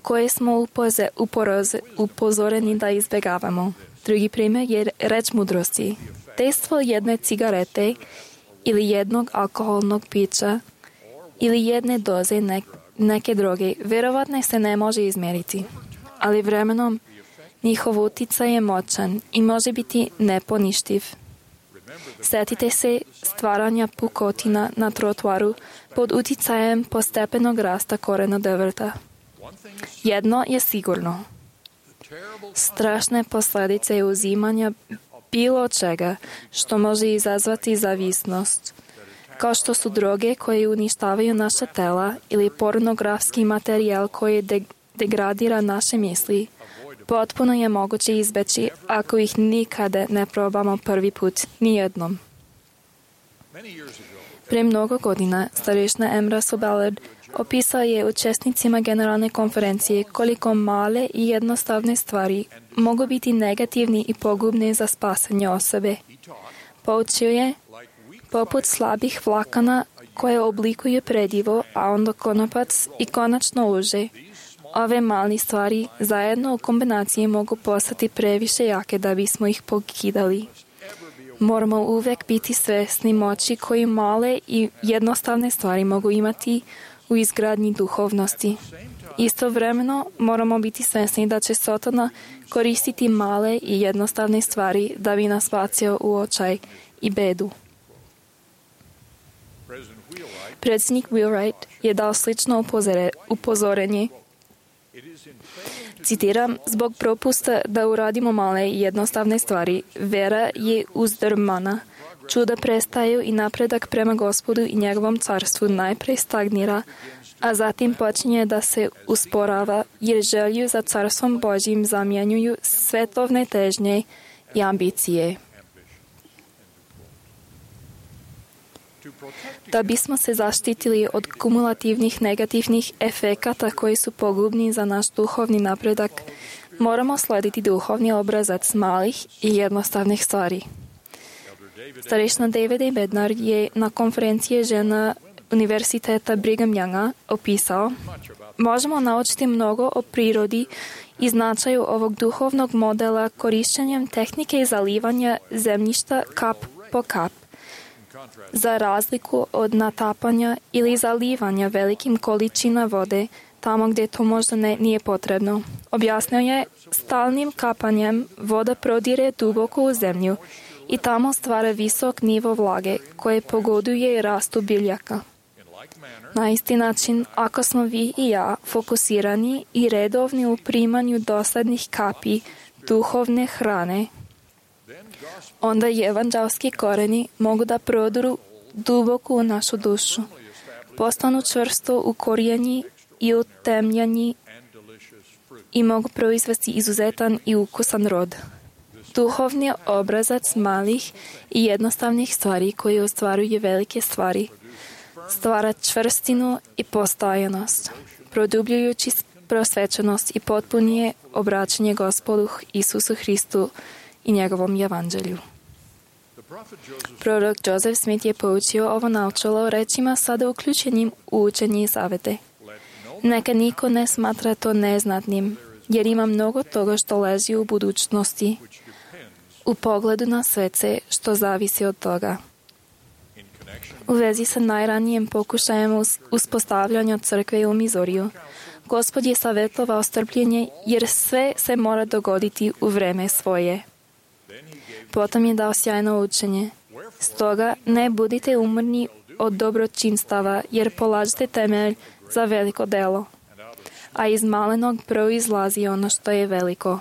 koje smo upoze, uporoze, upozoreni da izbjegavamo. Drugi primjer je reč mudrosti. Dejstvo jedne cigarete ili jednog alkoholnog pića ili jedne doze ne, neke droge vjerovatno se ne može izmjeriti, ali vremenom njihov utjecaj je moćan i može biti neponištiv. Setite se stvaranja pukotina na trotoaru pod uticajem postepenog rasta korena drveta. Jedno je sigurno. Strašne posljedice uzimanja bilo čega što može izazvati zavisnost, kao što su droge koje uništavaju naša tela ili pornografski materijal koji de- degradira naše misli, potpuno je moguće izbeći ako ih nikada ne probamo prvi put, nijednom. Pre mnogo godina starešna Emra Sobelard opisao je učesnicima generalne konferencije koliko male i jednostavne stvari mogu biti negativni i pogubne za spasanje osobe. Poučio je, poput slabih vlakana koje oblikuju predivo, a onda konopac i konačno uže. Ove mali stvari zajedno u kombinaciji mogu postati previše jake da bismo ih pokidali. Moramo uvek biti svesni moći koji male i jednostavne stvari mogu imati u izgradnji duhovnosti. Istovremeno moramo biti svesni da će Satana koristiti male i jednostavne stvari da bi nas bacio u očaj i bedu. Predsjednik Wheelwright je dao slično upozore, upozorenje. Citiram, zbog propusta da uradimo male i jednostavne stvari, vera je uzdrmana. Čuda prestaju i napredak prema Gospodu i njegovom carstvu najprej stagnira, a zatim počinje da se usporava, jer želju za carstvom Božjim zamjenjuju svetovne težnje i ambicije. Da bismo se zaštitili od kumulativnih negativnih efekata koji su pogubni za naš duhovni napredak, moramo slediti duhovni obrazac malih i jednostavnih stvari. Starešna David A. Bednar je na konferenciji žena Univerziteta Brigham Younga opisao: možemo naučiti mnogo o prirodi i značaju ovog duhovnog modela korišćenjem tehnike zalivanja zemljišta kap po kap, za razliku od natapanja ili zalivanja velikim količina vode tamo gdje to možda ne, nije potrebno. Objasnio je, stalnim kapanjem voda prodire duboko u zemlju i tamo stvara visok nivo vlage koje pogoduje rastu biljaka. Na isti način, ako smo vi i ja fokusirani i redovni u primanju dosadnih kapi duhovne hrane, onda evanđelski koreni mogu da prodru duboko u našu dušu, postanu čvrsto ukorijeni i utemljeni i mogu proizvesti izuzetan i ukusan rod. Duhovni obrazac malih i jednostavnih stvari koji ostvaruju velike stvari stvara čvrstinu i postojanost, produbljujući prosvećenost i potpunije obraćanje Gospodu Isusu Hristu i njegovom evanđelju. Prorok Joseph Smith je poučio ovo naučilo rečima sada uključenim u učenje i savete. Neka niko ne smatra to neznatnim, jer ima mnogo toga što leži u budućnosti, u pogledu na svece što zavisi od toga. U vezi sa najranijem pokušajem uspostavljanja crkve u Mizoriju, Gospod je savjetovao strpljenje jer sve se mora dogoditi u vreme svoje. Potom je dao sjajno učenje. Stoga ne budite umorni od dobročinstava jer polažete temelj za veliko delo, a iz malenog proizlazi ono što je veliko.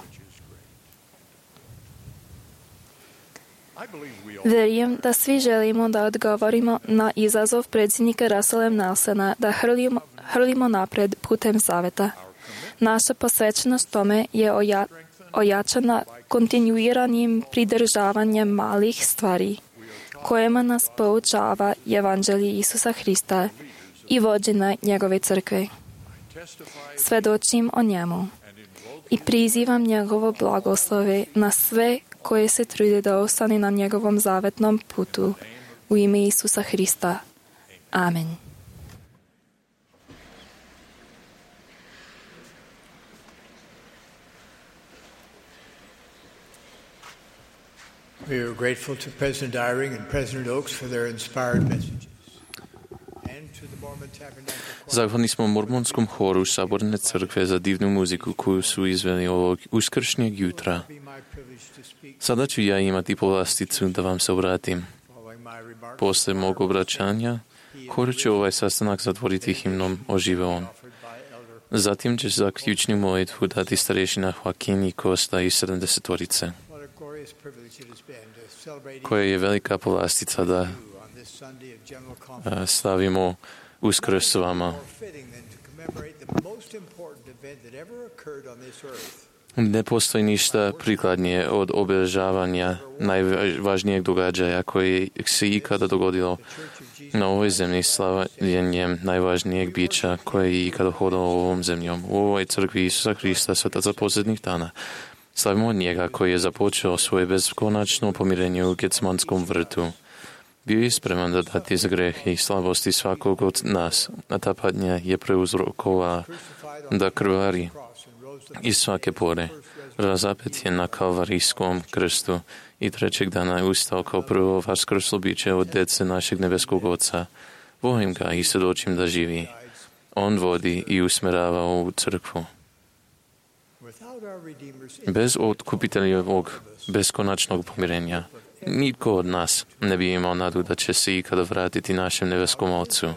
Verujem da svi želimo da odgovorimo na izazov predsjednika Russella Nelsona da hrlimo, hrlimo napred putem saveta. Naša posvećenost tome je oja, ojačana kontinuiranim pridržavanjem malih stvari, kojima nas poučava evanđelje Isusa Hrista i vođenja njegove crkve. Svedočim o njemu i prizivam njegovo blagoslove na sve koje se trude da ostane na njegovom zavetnom putu u ime Isusa Hrista. Amen. We are grateful to President Eyring and President Oaks for their inspired messages. Zahvalni smo Mormonskom horu Saborne crkve za divnu muziku koju su izveli ovog uskršnjeg jutra. Sada ću ja imati povlasticu da vam se obratim. Posle mog obraćanja, hor će ovaj sastanak zatvoriti himnom Oživeon. Zatim će zaključnu molitvu dati starešina Joaquin i Costa iz sedamdesetorice, koja je velika povlastica da slavimo Uskrs s vama. Ne postoji ništa prikladnije od obilježavanja najvažnijeg događaja koje se ikada dogodilo na ovoj zemlji, slavljenjem najvažnijeg bića koje je ikada hodalo ovom zemljom. U ovoj crkvi Isusa Hrista, svetaca posljednjih dana, slavimo njega koji je započeo svoje beskonačno pomirenje u Getsmanskom vrtu. Bio je spreman da dati za grehe i slabosti svakog od nas, a ta patnja je preuzrokovala da krvari iz svake pore. Razapet je na kalvarijskom krstu i trećeg dana je ustao kao prvo vaskrslo biće od dece našeg nebeskog Oca. Volim ga i svjedočim da živi. On vodi i usmerava ovu crkvu. Bez otkupiteljevog beskonačnog pomirenja nitko od nas ne bi imao nadu da će se ikada vratiti našem nebeskom Ocu.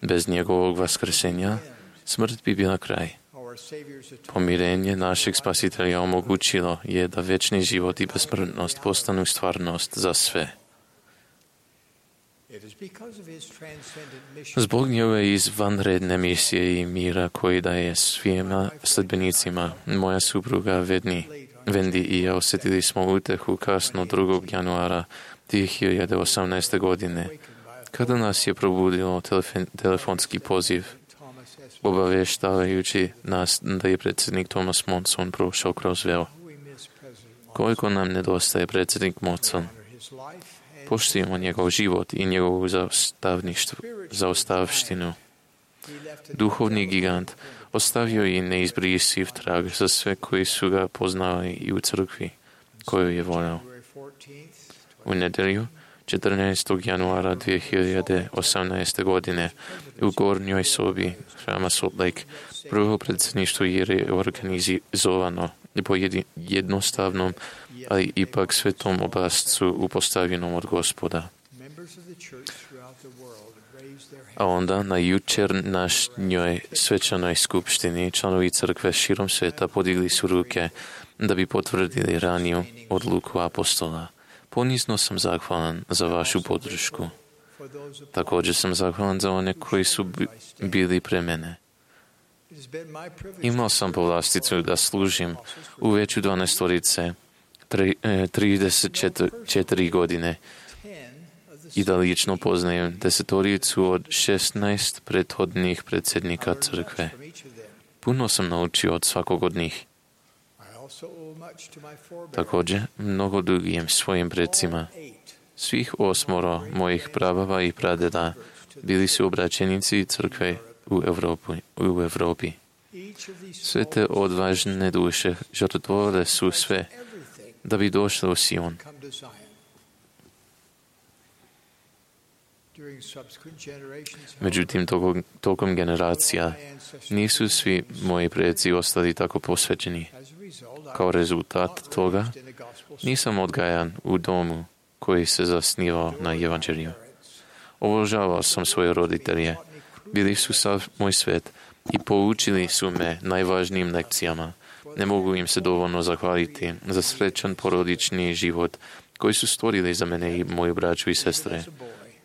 Bez njegovog vaskrsenja smrt bi bila kraj. Pomirenje našeg Spasitelja omogućilo je da večni život i besmrtnost postanu stvarnost za sve. Zbog njegove izvanredne misije i mira koji daje svima sledbenicima, moja supruga Wendy i ja osjetili smo utehu kasno drugog januara dvije hiljade osamnaeste. godine, kada nas je probudilo telefon, telefonski poziv, obavještavajući nas da je predsjednik Thomas Monson prošao kroz veo. Koliko nam nedostaje predsjednik Monson. Poštujemo njegov život i njegovu zaostavštinu. Duhovni gigant ostavio je neizbrisiv trag za sve koji su ga poznali i u crkvi koju je volio. U nedjelju, četrnaestog januara dvije hiljade osamnaeste. godine, u gornjoj sobi hrama Salt Lake, prvo predsjedništvo je organizovano po jednostavnom, ali ipak svetom obrascu upostavljenom od Gospoda. A onda na jučerašnjoj svečanoj skupštini članovi crkve širom sveta podigli su ruke da bi potvrdili raniju odluku apostola. Ponizno sam zahvalan za vašu podršku. Također sam zahvalan za one koji su bili pre mene. Imao sam povlasticu da služim u veću dvanaestorice trideset četiri godine i da lično poznajem desetoricu od šesnaest prethodnih predsjednika crkve. Puno sam naučio od svakog od njih. Također, mnogo dugujem svojim predsima. Svih osmoro mojih prabava i pradeda bili su obraćenici crkve u Evropi. U Evropi. Sve te odvažne duše žrtvovale su sve da bi došle u Sion. Međutim, tokom, tokom generacija nisu svi moji preci ostali tako posvećeni. Kao rezultat toga, nisam odgajan u domu koji se zasnivao na evanđelju. Obožavao sam svoje roditelje. Bili su sav moj svet i poučili su me najvažnijim lekcijama. Ne mogu im se dovoljno zahvaliti za srećan porodični život koji su stvorili za mene i moju braću i sestre.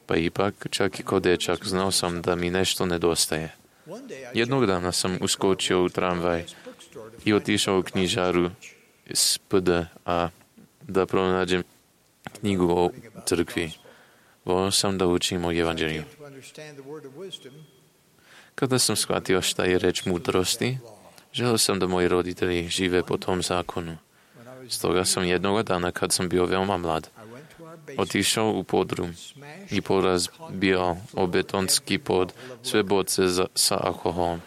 Pa ipak, čak i kao dečak, znao sam da mi nešto nedostaje. Jednog dana sam uskočio u tramvaj i otišao u knjižaru s P D A da pronađem knjigu o crkvi. Volio sam da učim o evanđelju. Kada sam shvatio šta je reč mudrosti, želio sam da moji roditelji žive po tom zakonu. Stoga sam jednog dana, kad sam bio veoma mlad, otišao u podrum i porazbio o betonski pod sve boce za, sa alkoholom.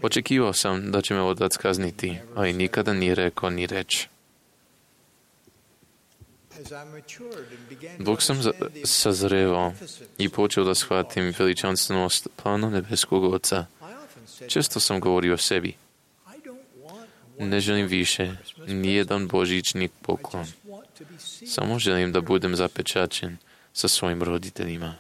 Očekivao sam da će me otac kazniti, ali nikada nije rekao ni reč. Dok sam sazrevao i počeo da shvatim veličanstvenost plana nebeskog Oca, Često sam govorio o sebi. Ne želim više nijedan božićni poklon. Samo želim da budem zapečaćen sa svojim roditeljima.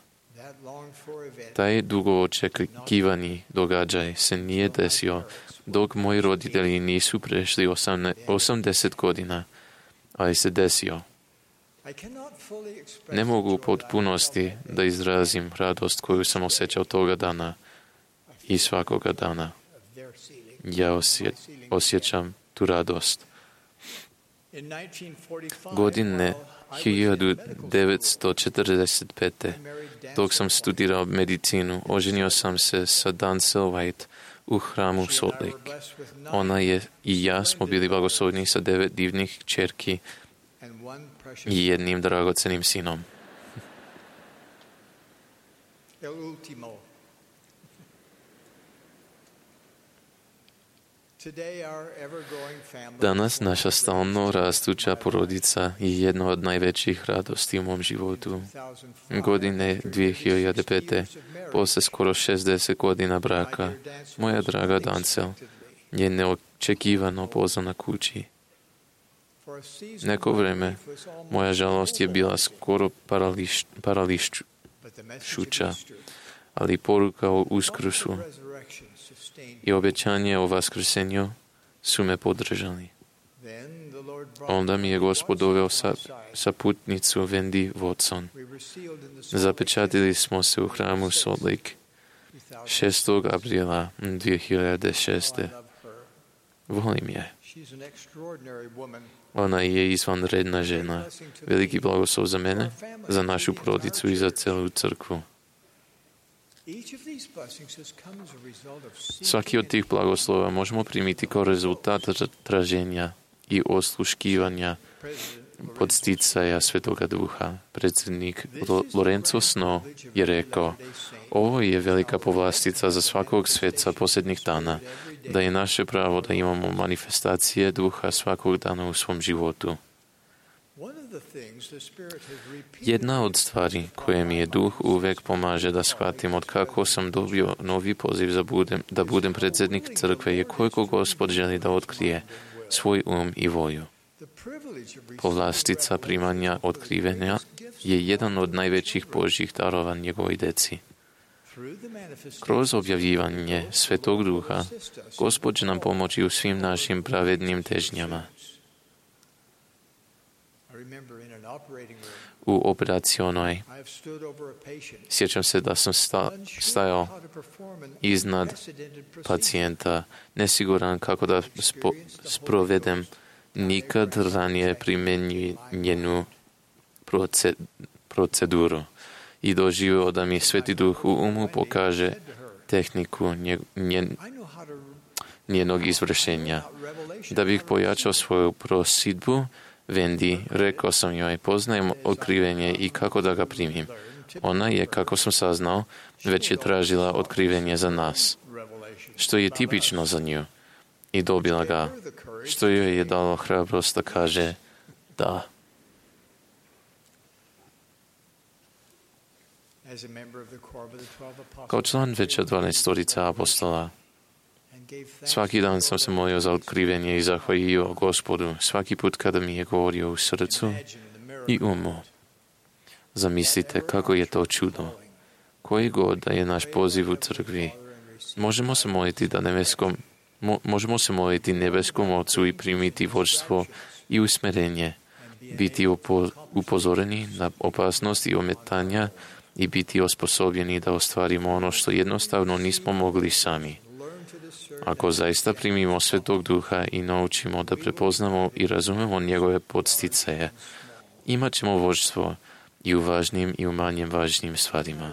Taj dugo očekivani događaj se nije desio dok moji roditelji nisu prešli osamdeset godina, ali se desio. Ne mogu u potpunosti da izrazim radost koju sam osjećao toga dana i svakoga dana. Ja osje, osjećam tu radost. Godine hiljadu devetsto četrdeset pete. dok sam studirao medicinu, oženio sam se sa Dancel White u hramu Salt Lake. Ona je i ja smo bili blagosloveni sa devet divnih čerki i jednim dragocenim sinom. Danas naša stalno rastuća porodica je jedna od najvećih radosti u mom životu. Godine dvije hiljade pete, posle skoro šezdeset godina braka, moja draga Dancel je neočekivano pozvana kući. Neko vreme moja žalost je bila skoro parališ, parališuća, ali poruka o Uskrsu i obećanje o vaskrsenju su me podržali. Onda mi je Gospod doveo sa, sa putnicu Wendy Watson. Zapečatili smo se u hramu Salt Lake šestog aprila dvije hiljade šeste. Volim je. Ona je izvanredna žena. Veliki blagoslov za mene, za našu porodicu i za celu crkvu. Svaki od tih blagoslova možemo primiti kao rezultat traženja i osluškivanja podsticaja Svetoga Duha. Predsjednik Lorenzo Snow je rekao: ovo je velika povlastica za svakog sveca posljednjih dana, da je naše pravo da imamo manifestacije Duha svakog dana u svom životu. Jedna od stvari koje mi je Duh uvek pomaže da shvatim od kako sam dobio novi poziv za budem, da budem predsjednik crkve je koliko Gospod želi da otkrije svoj um i volju. Povlastica primanja otkrivenja je jedan od najvećih Božjih darova njegovoj deci. Kroz objavljivanje Svetog Duha, Gospod će nam pomoći u svim našim pravednim težnjama. U operacionoj sjećam se da sam sta, stajao iznad pacijenta, nesiguran kako da spo, sprovedem nikad ranije primjenjenu proceduru i doživio da mi Sveti Duh u umu pokaže tehniku nje, nje, njenog izvršenja. Da bih pojačao svoju prosidbu, Wendy, rekao sam joj, poznajem otkrivenje i kako da ga primim. Ona je, kako sam saznao, već je tražila otkrivenje za nas, što je tipično za nju, i dobila ga, što joj je dalo hrabrost da kaže da. Kao član veća dvanaestorica apostola, svaki dan sam se molio za otkrivenje i zahvalio Gospodu svaki put kada mi je govorio u srcu i umu. Zamislite kako je to čudo. Koji god da je naš poziv u crkvi, možemo se moliti da nebeskom, mo, možemo se moliti nebeskom Ocu i primiti vođstvo i usmerenje, biti upo, upozoreni na opasnost i ometanja i biti osposobljeni da ostvarimo ono što jednostavno nismo mogli sami. Ako zaista primimo Svetog Duha i naučimo da prepoznamo i razumemo njegove podsticaje, imat ćemo vođstvo i u važnim i u manjem važnim stvarima.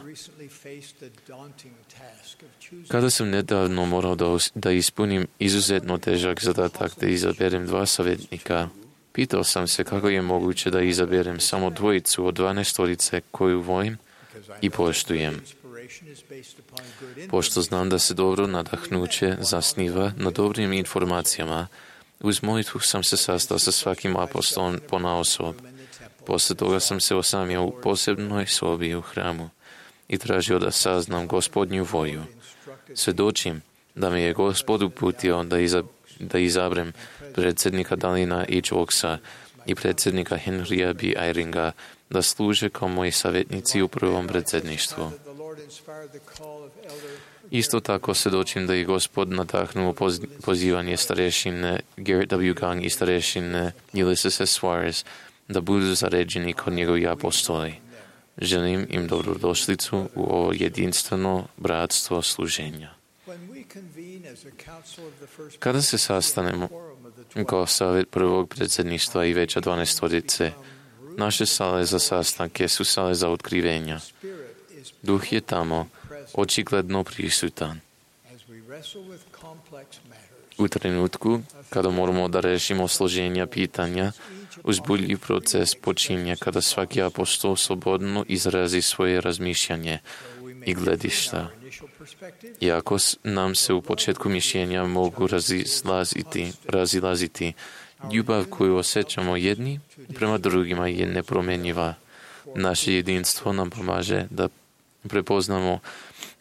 Kada sam nedavno morao da, da ispunim izuzetno težak zadatak da izaberem dva savjetnika, pitao sam se kako je moguće da izaberem samo dvojicu od dvanaestorice koju volim i poštujem. Pošto znam da se dobro nadahnuće zasniva na dobrim informacijama, uz molitvu sam se sastao sa svakim apostolom ponaosob. Posle toga sam se osamio u posebnoj sobi u hramu i tražio da saznam Gospodnju volju. Svedočim da me je Gospod uputio da, iza, da izabrem predsjednika Dalina H. Oaksa i predsjednika Henrya B. Eyringa da služe kao moji savjetnici u prvom predsjedništvu. Isto tako svjedočim da je Gospod nadahnuo poz, pozivanje starešine Garrett W. Gang i starešine Ulysses S. Suarez da budu zaređeni kod njegovi apostoli. Želim im dobrodošlicu u ovo jedinstveno bratstvo služenja. Kada se sastanemo kao savjet prvog predsjedništva i veća dvanaestorice, naše sale za sastanke su sale za otkrivenja. Duh je tamo očigledno prisutan. U trenutku kada moramo da rešimo složenja pitanja, uzbudljiv proces počinje kada svaki apostol slobodno izrazi svoje razmišljanje i gledišta. Iako nam se u početku mišljenja mogu razilaziti, razilaziti, ljubav koju osjećamo jedni prema drugima je nepromjenjiva. Naše jedinstvo nam pomaže da prepoznamo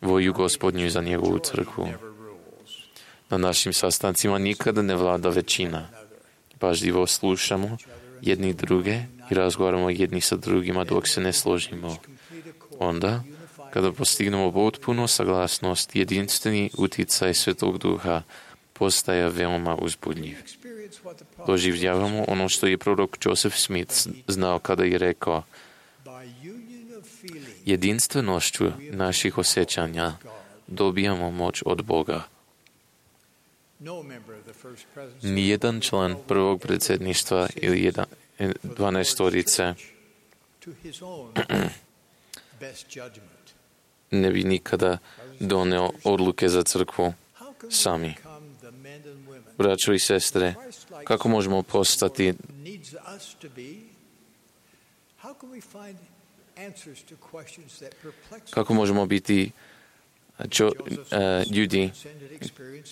volju Gospodnju za njegovu crkvu. Na našim sastancima nikada ne vlada većina. Pažljivo slušamo jedni druge i razgovaramo jedni sa drugima dok se ne složimo. Onda, kada postignemo potpuno saglasnost, jedinstveni uticaj Svetog Duha postaje veoma uzbudljiv. Doživljavamo ono što je prorok Joseph Smith znao kada je rekao: jedinstvenošću naših osjećanja dobijamo moć od Boga. Nijedan član prvog predsjedništva ili jedan, dvanaestorice ne bi nikada doneo odluke za crkvu sami. Braćo i sestre, kako možemo postati kako možemo biti čo, uh, ljudi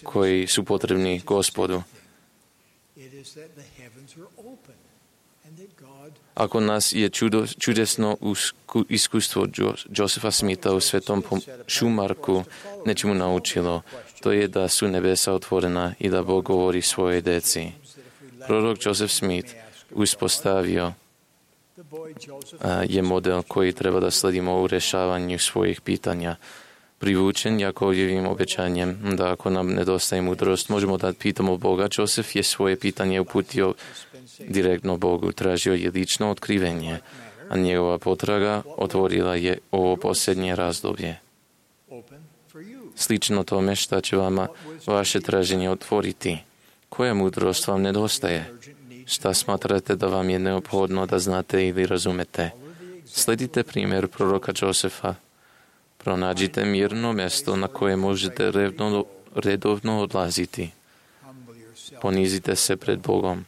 koji su potrebni Gospodu? Ako nas je čudo, čudesno iskustvo Josepha Smitha u Svetom Šumarku nečemu naučilo, to je da su nebesa otvorena i da Bog govori svojoj deci. Prorok Joseph Smith uspostavio je model koji treba da sledimo u rešavanju svojih pitanja. Privučen Jakovljevim obećanjem da ako nam nedostaje mudrost, možemo da pitamo Boga. Joseph je svoje pitanje uputio direktno Bogu, tražio je lično otkrivenje, a njegova potraga otvorila je ovo posljednje razdoblje. Slično tome šta će vama vaše traženje otvoriti. Koja mudrost vam nedostaje? Šta smatrate da vam je neophodno da znate ili razumete? Sledite primjer proroka Josefa. Pronađite mirno mjesto na koje možete redovno, redovno odlaziti. Ponizite se pred Bogom.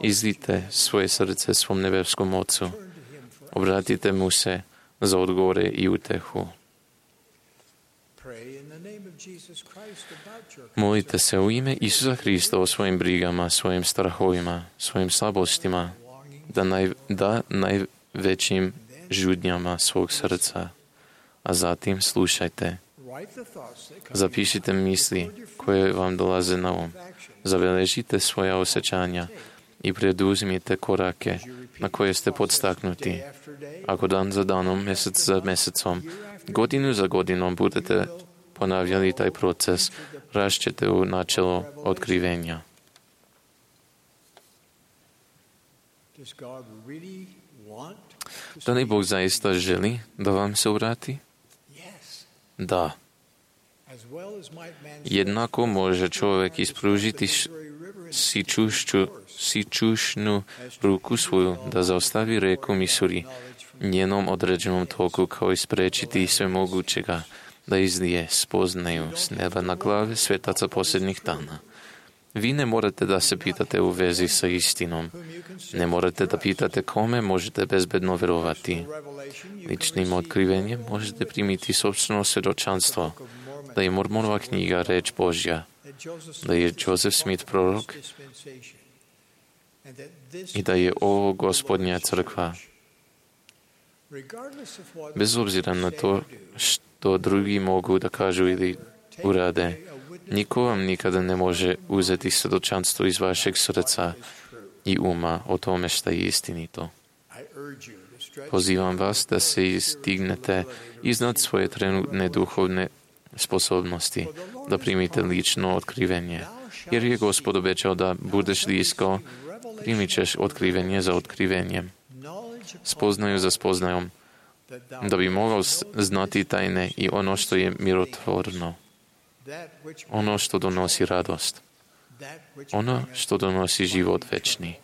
Izlite svoje srce svom nebeskom Ocu. Obratite mu se za odgovore i utehu. Molite se u ime Isusa Hrista o svojim brigama, svojim strahovima, svojim slabostima, da, naj, da najvećim žudnjama svog srca. A zatim slušajte. Zapišite misli koje vam dolaze na um. Zabeležite svoja osjećanja i preduzmite korake na koje ste podstaknuti. Ako dan za danom, mjesec za mjesecom, godinu za godinom budete ponavljali taj proces, rašćete u načelo otkrivenja. Da li Bog zaista želi da vam se obrati? Da. Jednako može čovjek ispružiti sičušću, sičušnu ruku svoju da zaustavi reku Misuri njenom određenom toku, kao i sprečiti sve mogućega da izlije spoznaju s neba na glave svetaca posljednjih dana. Vi ne morate da se pitate u vezi sa istinom. Ne morate da pitate kome možete bezbedno verovati. Ličnim otkrivenjem možete primiti sopstveno svjedočanstvo da je Mormonova knjiga reč Božja, da je Joseph Smith prorok i da je ovo Gospodnja crkva. Bez obzira na to što drugi mogu da kažu ili urade. Niko vam nikada ne može uzeti svjedočanstvo iz vašeg srca i uma o tome što je istinito. Pozivam vas da se izdignete iznad svoje trenutne duhovne sposobnosti, da primite lično otkrivenje. Jer je Gospod obećao da budeš blisko, primit ćeš otkrivenje za otkrivenjem, spoznaju za spoznajom, da bi mogao znati tajne i ono što je mirotvorno, ono što donosi radost, ono što donosi život večni.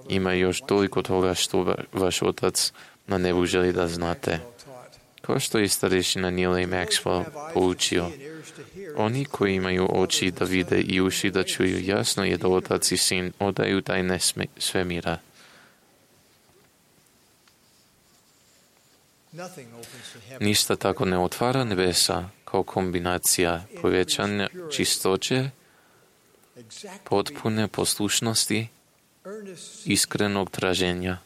Ima još toliko toga što vaš otac na nebu želi da znate. Kao što je starešina Neil A. Maxwell poučio, oni koji imaju oči da vide i uši da čuju, jasno je da otac i sin odaju tajne svemira. Ništa tako ne otvara nebesa kao kombinacija povećanja čistoće, potpune poslušnosti, iskrenog traženja,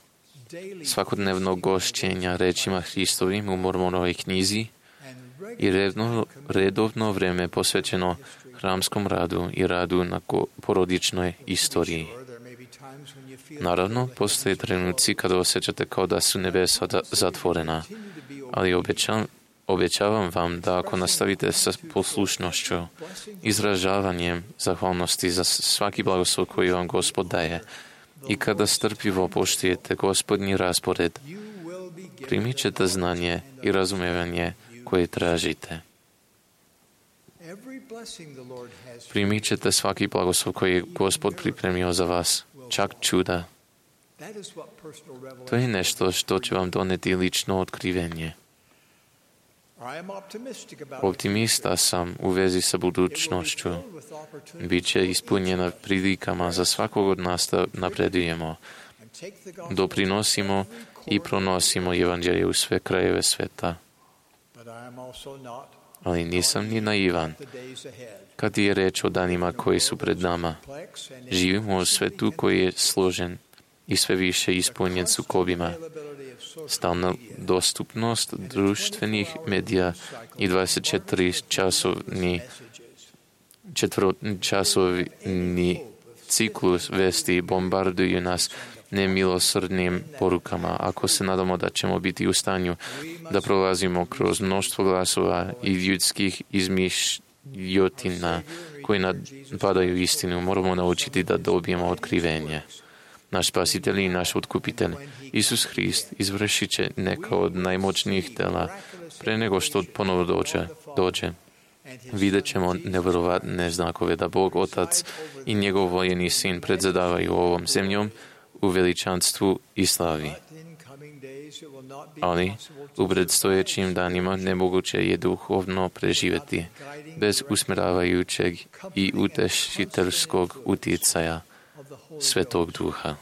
svakodnevnog gošćenja rečima Hristovim u Mormonovoj knjizi i redovno, redovno vreme posvećeno hramskom radu i radu na porodičnoj istoriji. Naravno, postoje trenuci kada osjećate kao da su nebesa zatvorena, ali obećavam, obećavam vam da ako nastavite sa poslušnošću, izražavanjem zahvalnosti za svaki blagoslov koji vam Gospod daje i kada strpljivo poštujete Gospodnji raspored, primit ćete znanje i razumijevanje koje tražite. Primit ćete svaki blagoslov koji je Gospod pripremio za vas, čak čuda. To je nešto što će vam doneti lično otkrivenje. Optimista sam u vezi sa budućnošću. Biće ispunjena prilikama za svakog od nas da napredujemo, doprinosimo i pronosimo evanđelje u sve krajeve sveta. Ali nisam ni naivan. Kad je reč o danima koji su pred nama, živimo u svetu koji je složen i sve više ispunjen sukobima. Stalna dostupnost društvenih medija i dvadeset četiri časovni četvrčasovni ciklus vesti bombarduju nas nemilosrdnim porukama. Ako se nadamo da ćemo biti u stanju da prolazimo kroz mnoštvo glasova i ljudskih izmišljotina koji napadaju istinu, moramo naučiti da dobijemo otkrivenje. Naš spasitelj i naš otkupitelj, Isus Hrist, izvršit će neka od najmoćnijih dela pre nego što ponovo dođe. dođe. Vidjet ćemo nevjerovatne znakove da Bog Otac i njegov voljeni sin predzadavaju ovom zemljom u veličanstvu i slavi. Ali u predstojećim danima nemoguće je duhovno preživjeti bez usmjeravajućeg i utešiteljskog utjecaja Svetog Duha.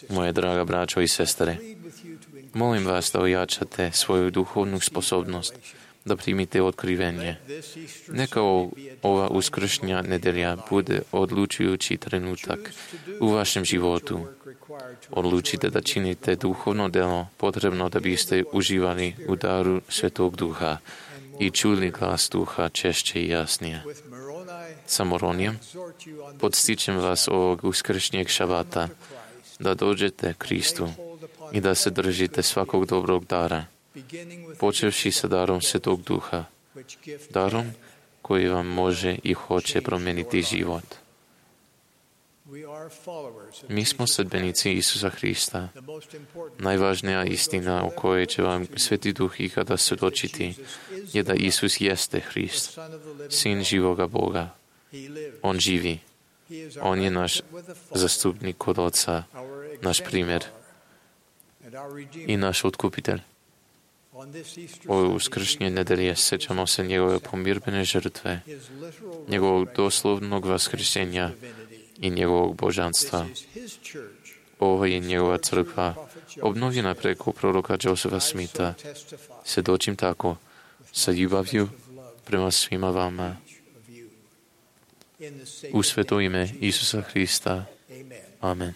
Moje draga braćo i sestre, molim vas da ojačate svoju duhovnu sposobnost, da primite otkrivenje. Neka ova uskršnja nedelja bude odlučujući trenutak u vašem životu. Odlučite da činite duhovno delo potrebno da biste uživali u daru Svetog Duha i čuli glas Duha češće i jasnije. Sa Moronijem podstičem vas ovog uskršnjeg šabata da dođete Kristu i da se držite svakog dobrog dara, počevši sa darom Svetog Duha, darom koji vam može i hoće promijeniti život. Mi smo sledbenici Isusa Hrista. Najvažnija istina o kojoj će vam Sveti Duh ikada svjedočiti je da Isus jeste Hrist, Sin živoga Boga. On živi. On je naš zastupnik kod Oca, naš primjer i naš otkupitelj. Ove uskršnje nedelje sjećamo se njegove pomirbene žrtve, njegovog doslovnog vaskrsenja i njegovog božanstva. Ovo je njegova crkva, obnovljena preko proroka Josefa Smitha. Svjedočim tako, sa ljubavlju prema svima vama. U sveto ime Isusa Hrista. Amen.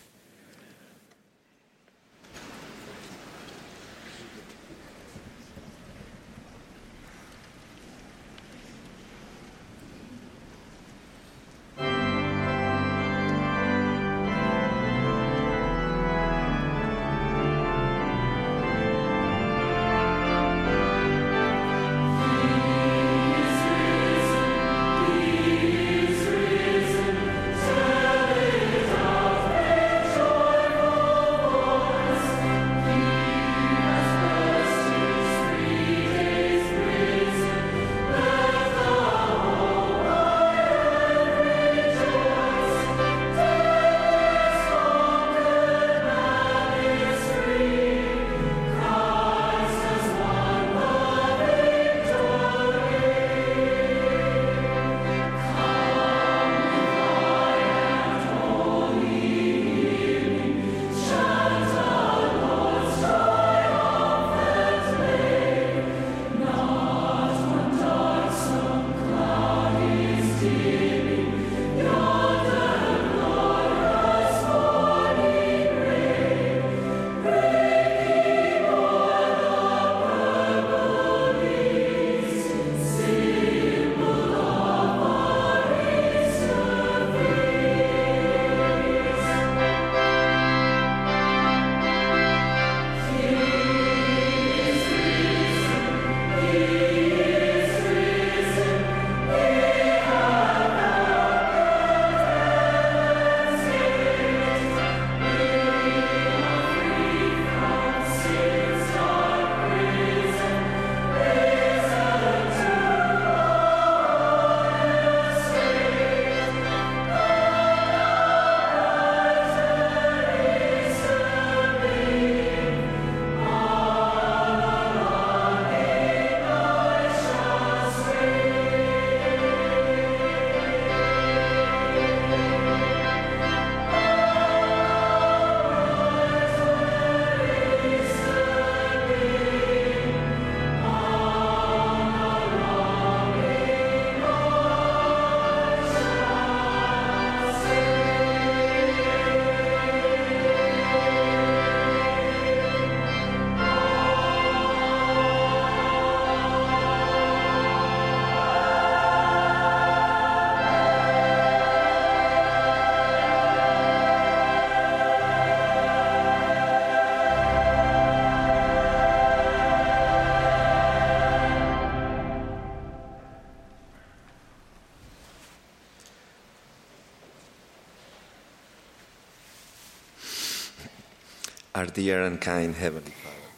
Our dear and kind Heavenly Father,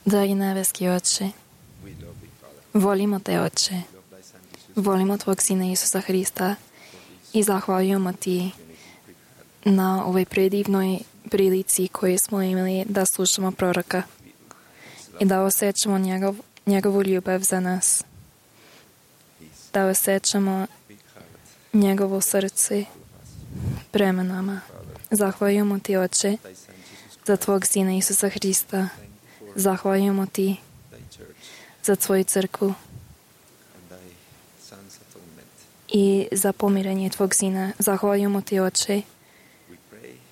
Dragi nebeski Oče, we love thee, Father. volimo Te, Oče. Volimo Tvog Sina Isusa Hrista i zahvaljujemo Ti na ovoj predivnoj prilici koju smo imali da slušamo proroka i da osjećamo njegov, njegovu ljubav za nas, da osjećamo njegovo srce prema nama. Zahvaljujemo Ti, Oče, za Tvog Sina Isusa Hrista. Zahvaljujemo Ti za Tvoju crkvu i za pomirenje Tvog Sina. Zahvaljujemo Ti, Oče,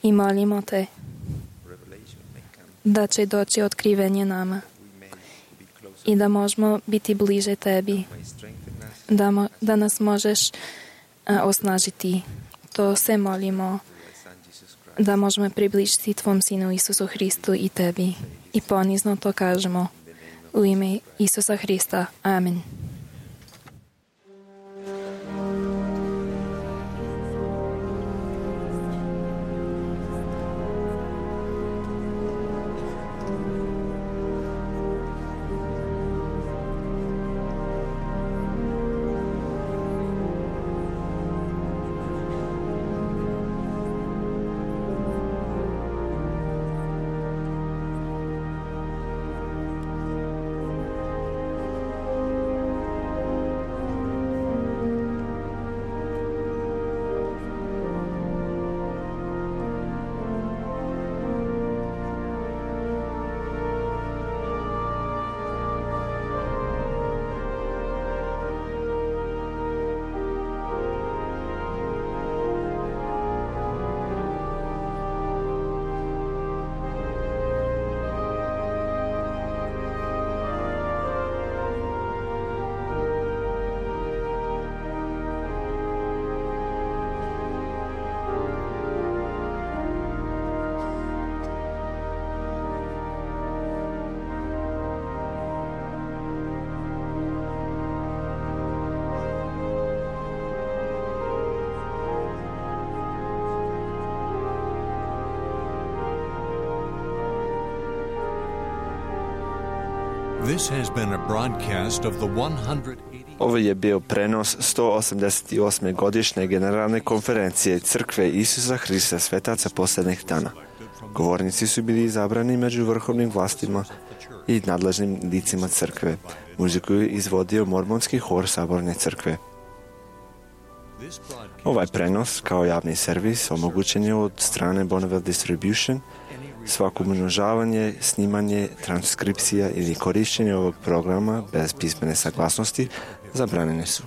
i molimo Te da će doći otkrivenje nama i da možemo biti bliže Tebi, da, mo, da nas možeš a, osnažiti. To se molimo da možemo približiti Tvom Sinu Isusu Hristu i Tebi. I ponizno to kažemo u ime Isusa Hrista. Amen. This has been a broadcast of the one hundred eighty... Ovo je bio prenos sto osamdeset osme godišnje generalne konferencije Crkve Isusa Hrista svetaca posljednjih dana. Govornici su bili izabrani među vrhovnim vlastima i nadležnim licima crkve. Muziku je izvodio mormonski hor Saborne crkve. Ovaj prenos kao javni servis omogućen je od strane Bonneville Distribution. Svako umnožavanje, snimanje, transkripcija ili korištenje ovog programa bez pismene saglasnosti zabranjene su.